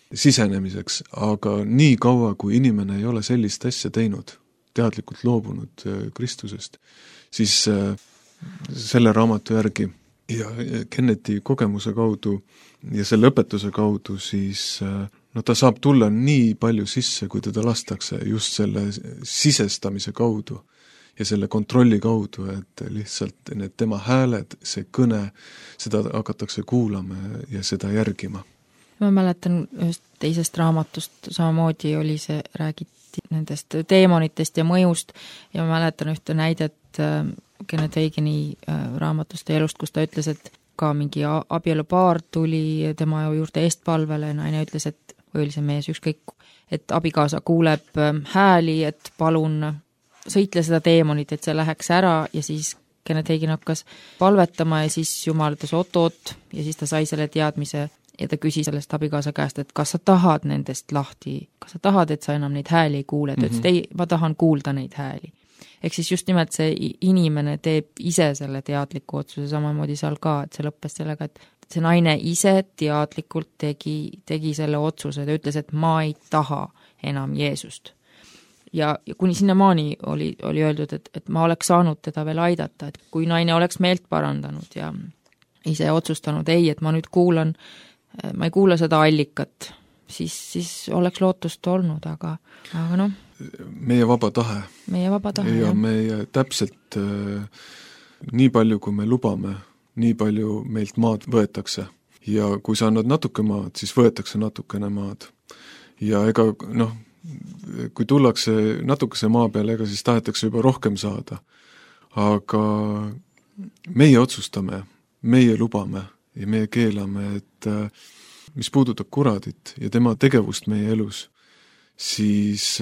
sisenemiseks, aga nii kaua, kui inimene ei ole sellist asja teinud, teadlikult loobunud Kristusest, siis selle raamatu järgi ja Kennethi kogemuse kaudu ja selle õpetuse kaudu siis no ta saab tulla nii palju sisse, kui teda lastakse just selle sisestamise kaudu ja selle kontrolli kaudu, et lihtsalt need tema hääled, see kõne, seda hakatakse kuulama ja seda järgima. Ma mäletan ühest teisest raamatust, samamoodi oli see, räägiti nendest teemonitest ja mõjust ja ma mäletan ühte näidet Kenneth Hagini raamatust ja elust, kus ta ütles, et ka mingi abielupaar tuli tema juurde eestpalvele, naine ütles, et või oli see mees ükskõik, et abikaasa kuuleb hääli, et palun sõitle seda teemonit, et see läheks ära ja siis Kenneth Hagin hakkas palvetama ja siis Jumal ütles oot-oot ja siis ta sai selle teadmise ja ta küsis sellest abikaasa käest, et kas sa tahad nendest lahti, kas sa tahad, et sa enam neid hääli ei kuule, ta ütles, et ei, ma tahan kuulda neid hääli. Ehk siis just nimelt see inimene teeb ise selle teadliku otsuse, samamoodi seal ka, et see lõppes sellega, et see naine ise teadlikult tegi, tegi selle otsuse, ta ütles, et ma ei taha enam Jeesust. Ja, ja kuni sinnamaani oli, oli öeldud, et, et ma oleks saanud teda veel aidata, et kui naine oleks meelt parandanud ja ise otsustanud, ei, et ma nüüd kuulan, ma ei kuula seda allikat, siis, siis oleks lootust olnud, aga, aga noh. Meie vaba tahe. Meie vaba tahe, ja jah. meie täpselt äh, nii palju, kui me lubame, nii palju meilt maad võetakse. Ja kui sa annad natuke maad, siis võetakse natukene maad. Ja ega, noh, kui tullakse natukese maa peale, ega siis tahetakse juba rohkem saada. Aga meie otsustame, meie lubame ja meie keelame, et mis puudutab kuradit ja tema tegevust meie elus, siis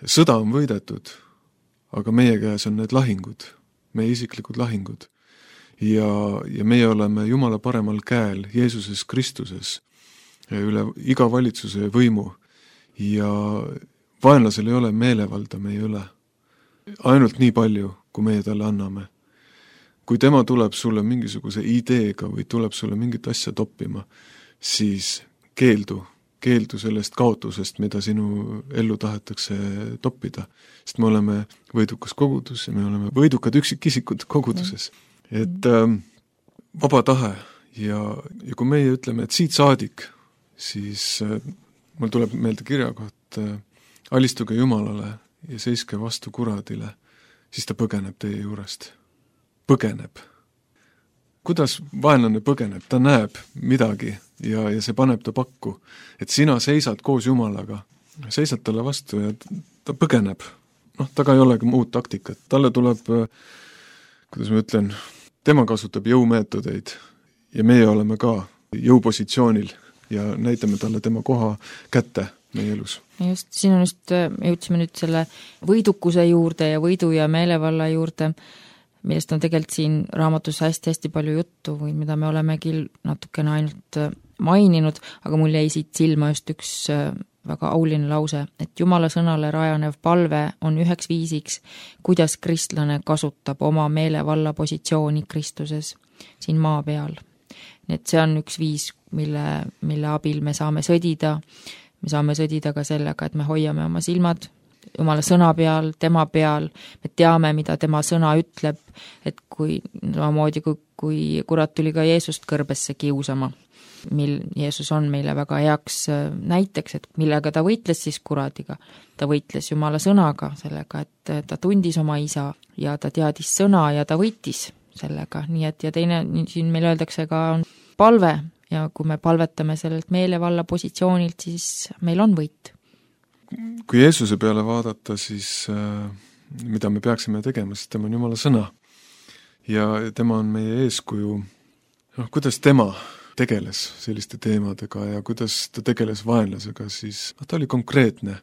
sõda on võidetud, aga meie käes on need lahingud, meie isiklikud lahingud. Ja, ja meie oleme Jumala paremal käel Jeesuses Kristuses üle iga valitsuse võimu. Ja vaenlasel ei ole meelevalda meie üle. Ainult nii palju, kui meie talle anname. Kui tema tuleb sulle mingisuguse ideega või tuleb sulle mingit asja toppima, siis keeldu, keeldu sellest kaotusest, mida sinu ellu tahetakse toppida. Sest me oleme võidukas kogudus ja me oleme võidukad üksikisikud koguduses. Et ähm, vaba tahe ja, ja kui meie ütleme, et siit saadik, siis äh, mul tuleb meelde kirjakoht, alistuge Jumalale ja seiske vastu kuradile, siis ta põgeneb teie juurest. Põgeneb. Kuidas vaenlane põgeneb? Ta näeb midagi ja, ja see paneb ta pakku. Et sina seisad koos Jumalaga, seisad talle vastu ja ta põgeneb. Noh, taga ei olegi muud taktikat. Talle tuleb, kuidas ma ütlen, tema kasutab jõumeetodeid ja meie oleme ka jõupositsioonil ja näitame talle tema koha kätte meie elus. Just, siin on just, jõudsime nüüd selle võidukuse juurde ja võidu ja meelevalla juurde, millest on tegelikult siin raamatus hästi-hästi palju juttu või mida me olemegi natukene ainult maininud, aga mul jäi siit silma just üks väga auline lause, et Jumala sõnale rajanev palve on üheks viisiks, kuidas kristlane kasutab oma meelevalla positsiooni Kristuses siin maa peal. Nii et see on üks viis, mille, mille abil me saame sõdida. Me saame sõdida ka sellega, et me hoiame oma silmad Jumala sõna peal, tema peal, me teame, mida tema sõna ütleb, et kui samamoodi, kui, kui kurat tuli ka Jeesust kõrbesse kiusama, mil Jeesus on meile väga heaks näiteks, et millega ta võitles siis kuradiga. Ta võitles Jumala sõnaga sellega, et ta tundis oma isa ja ta teadis sõna ja ta võitis sellega, nii et ja teine, siin meil öeldakse ka on palve ja kui me palvetame sellelt meelevalla positsioonilt, siis meil on võit. Kui Jeesuse peale vaadata, siis äh, mida me peaksime tegema, siis tema on Jumala sõna ja tema on meie eeskuju, noh, kuidas tema tegeles selliste teemadega ja kuidas ta tegeles vaenlasega, siis noh, ta oli konkreetne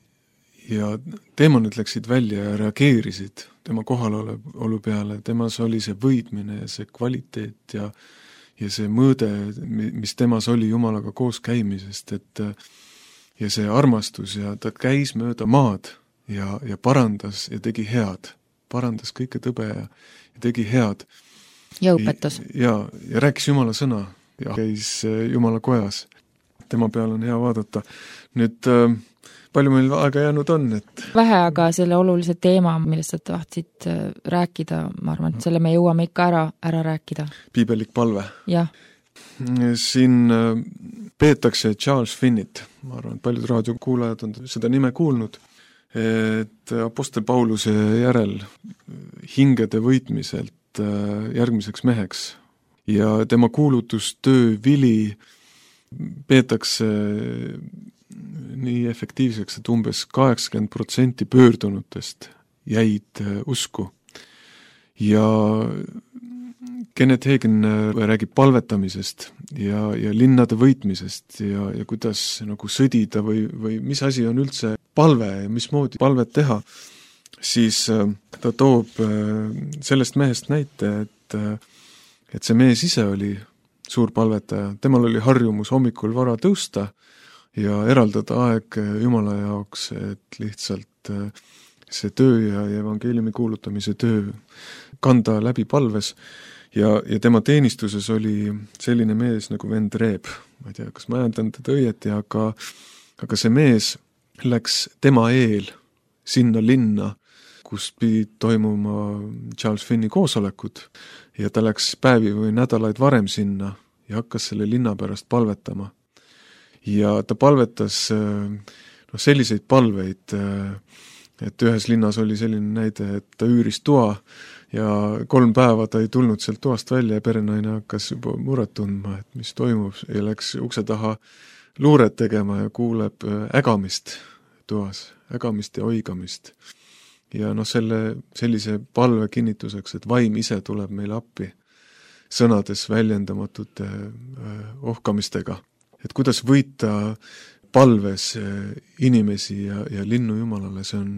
ja teemonid läksid välja ja reageerisid tema kohalolu peale, temas oli see võidmine ja see kvaliteet ja, ja see mõõde, mis temas oli Jumalaga koos käimisest, et ja see armastus ja ta käis mööda maad ja, ja parandas ja tegi head, parandas kõike tõbe ja, ja tegi head. Ja õpetas. Ja, ja rääkis Jumala sõna ja käis Jumala kojas. Tema peal on hea vaadata. Nüüd palju meil aega jäänud on, et vähe, aga selle olulise teema, millest sa tahtsid rääkida, ma arvan, et selle me jõuame ikka ära, ära rääkida. Piibelik palve. Jah. Siin peetakse Charles Finnit, ma arvan, et paljud raadiokuulajad on seda nime kuulnud, et Apostel Pauluse järel hingede võitmiselt järgmiseks meheks ja tema kuulutustöö vili peetakse nii efektiivseks, et umbes kaheksakümmend protsenti pöördunutest jäid usku. Ja Kenneth Hagin räägib palvetamisest ja, ja linnade võitmisest ja, ja kuidas nagu sõdida või, või mis asi on üldse palve ja mismoodi palvet teha, siis ta toob sellest mehest näite, et, et see mees ise oli suur palvetaja, temal oli harjumus hommikul vara tõusta ja eraldada aeg Jumala jaoks, et lihtsalt see töö ja evangeeliumi kuulutamise töö kanda läbi palves ja, ja tema teenistuses oli selline mees nagu vend Reeb. Ma ei tea, kas ma ajandan teda õieti, aga, aga see mees läks tema eel sinna linna, kus pidi toimuma Charles Finni koosolekud ja ta läks päevi või nädalaid varem sinna ja hakkas selle linna pärast palvetama. Ja ta palvetas no, selliseid palveid, et ühes linnas oli selline näide, et ta üüris toa ja kolm päeva ta ei tulnud sealt toast välja ja perenaine hakkas juba muret tundma, et mis toimub ja läks ukse taha luuret tegema ja kuuleb ägamist toas, ägamist ja oigamist. Ja noh, selle, sellise palve kinnituseks, et vaim ise tuleb meile appi sõnades väljendamatute ohkamistega. Et kuidas võita palves inimesi ja, ja linnu Jumalale, see on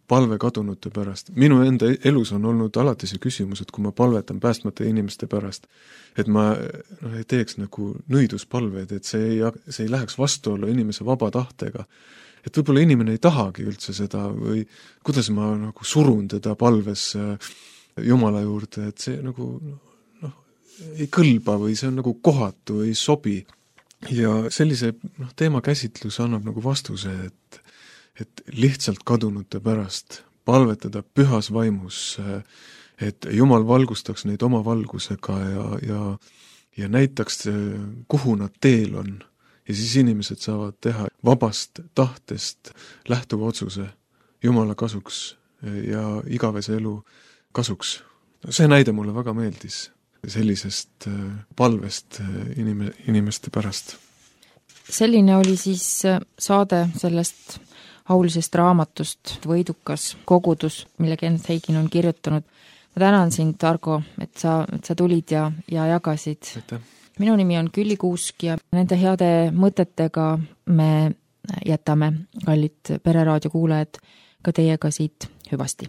palve kadunute pärast. Minu enda elus on olnud alati see küsimus, et kui ma palvetan päästmata inimeste pärast, et ma no, ei teeks nagu nõiduspalveid, et see ei, see ei läheks vastuollu inimese vaba tahtega. Et võib-olla inimene ei tahagi üldse seda või kuidas ma nagu surun teda palves Jumala juurde, et see nagu noh, ei kõlba või see on nagu kohatu, ei sobi. Ja sellise noh, teema käsitlus annab nagu vastuse, et, et lihtsalt kadunute pärast palvetada pühas vaimus, et Jumal valgustaks neid oma valgusega ja, ja, ja näitaks, kuhu nad teel on. Ja siis inimesed saavad teha vabast tahtest lähtuva otsuse Jumala kasuks ja igavese elu kasuks. See näide mulle väga meeldis sellisest palvest inime, inimeste pärast. Selline oli siis saade sellest aulisest raamatust Võidukas kogudus, mille Kenneth Hagin on kirjutanud. Ma tänan sind, Argo, et sa, et sa tulid ja, ja jagasid. Aitäh. Minu nimi on Külli Kuusk ja nende heade mõtetega me jätame, kallid Pereraadio kuulajad, ka teiega siit hüvasti.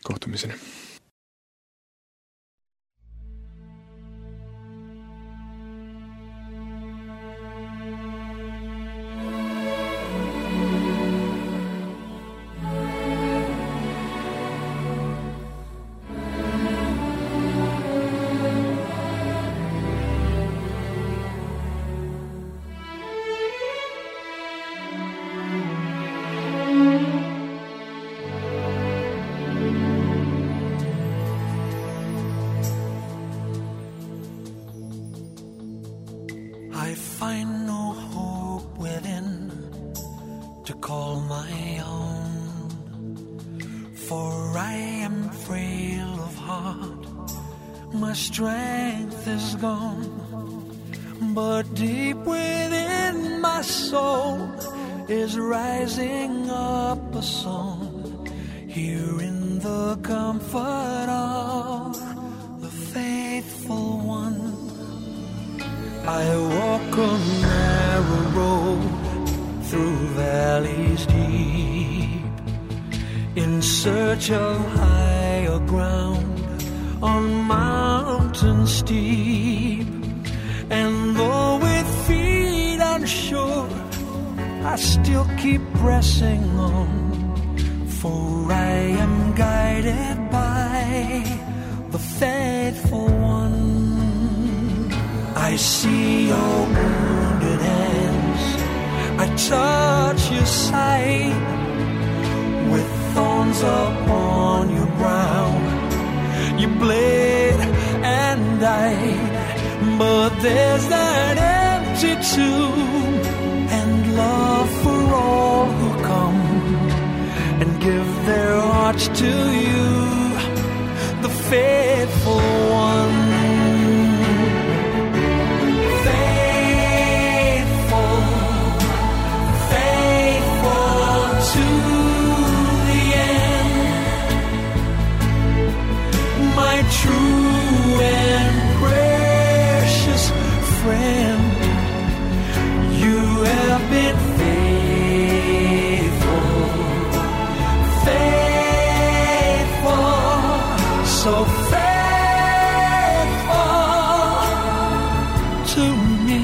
Kohtumiseni. I find no hope within to call my own, for I am frail of heart, my strength is gone, but deep within my soul is rising up a song, here in the comfort of the faithful one. I walk a narrow road through valleys deep, in search of higher ground on mountains steep. And though with feet unsure, I still keep pressing on, for I am guided by the faithful one. I see your wounded hands, I touch your side with thorns upon your brow. You bled and died, but there's that empty tomb and love for all who come and give their hearts to you, the faithful one. True and precious friend, you have been faithful, faithful, so faithful to me.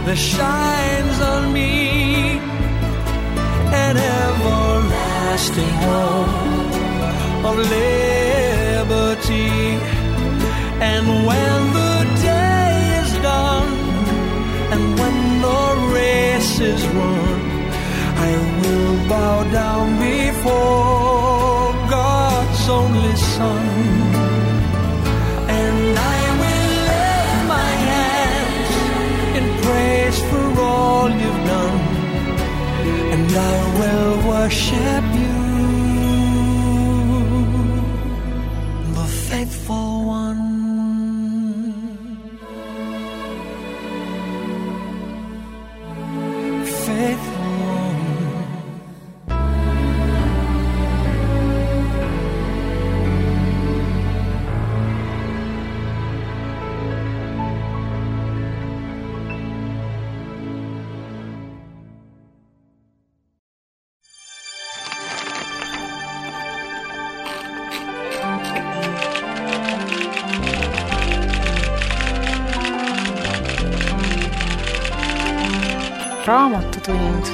There shines on me an everlasting hope of liberty. And when the day is done and when the race is run, I will bow down before God's only Son. For all you've done, and I will worship you, the faithful one. Faithful one. Raamatutund.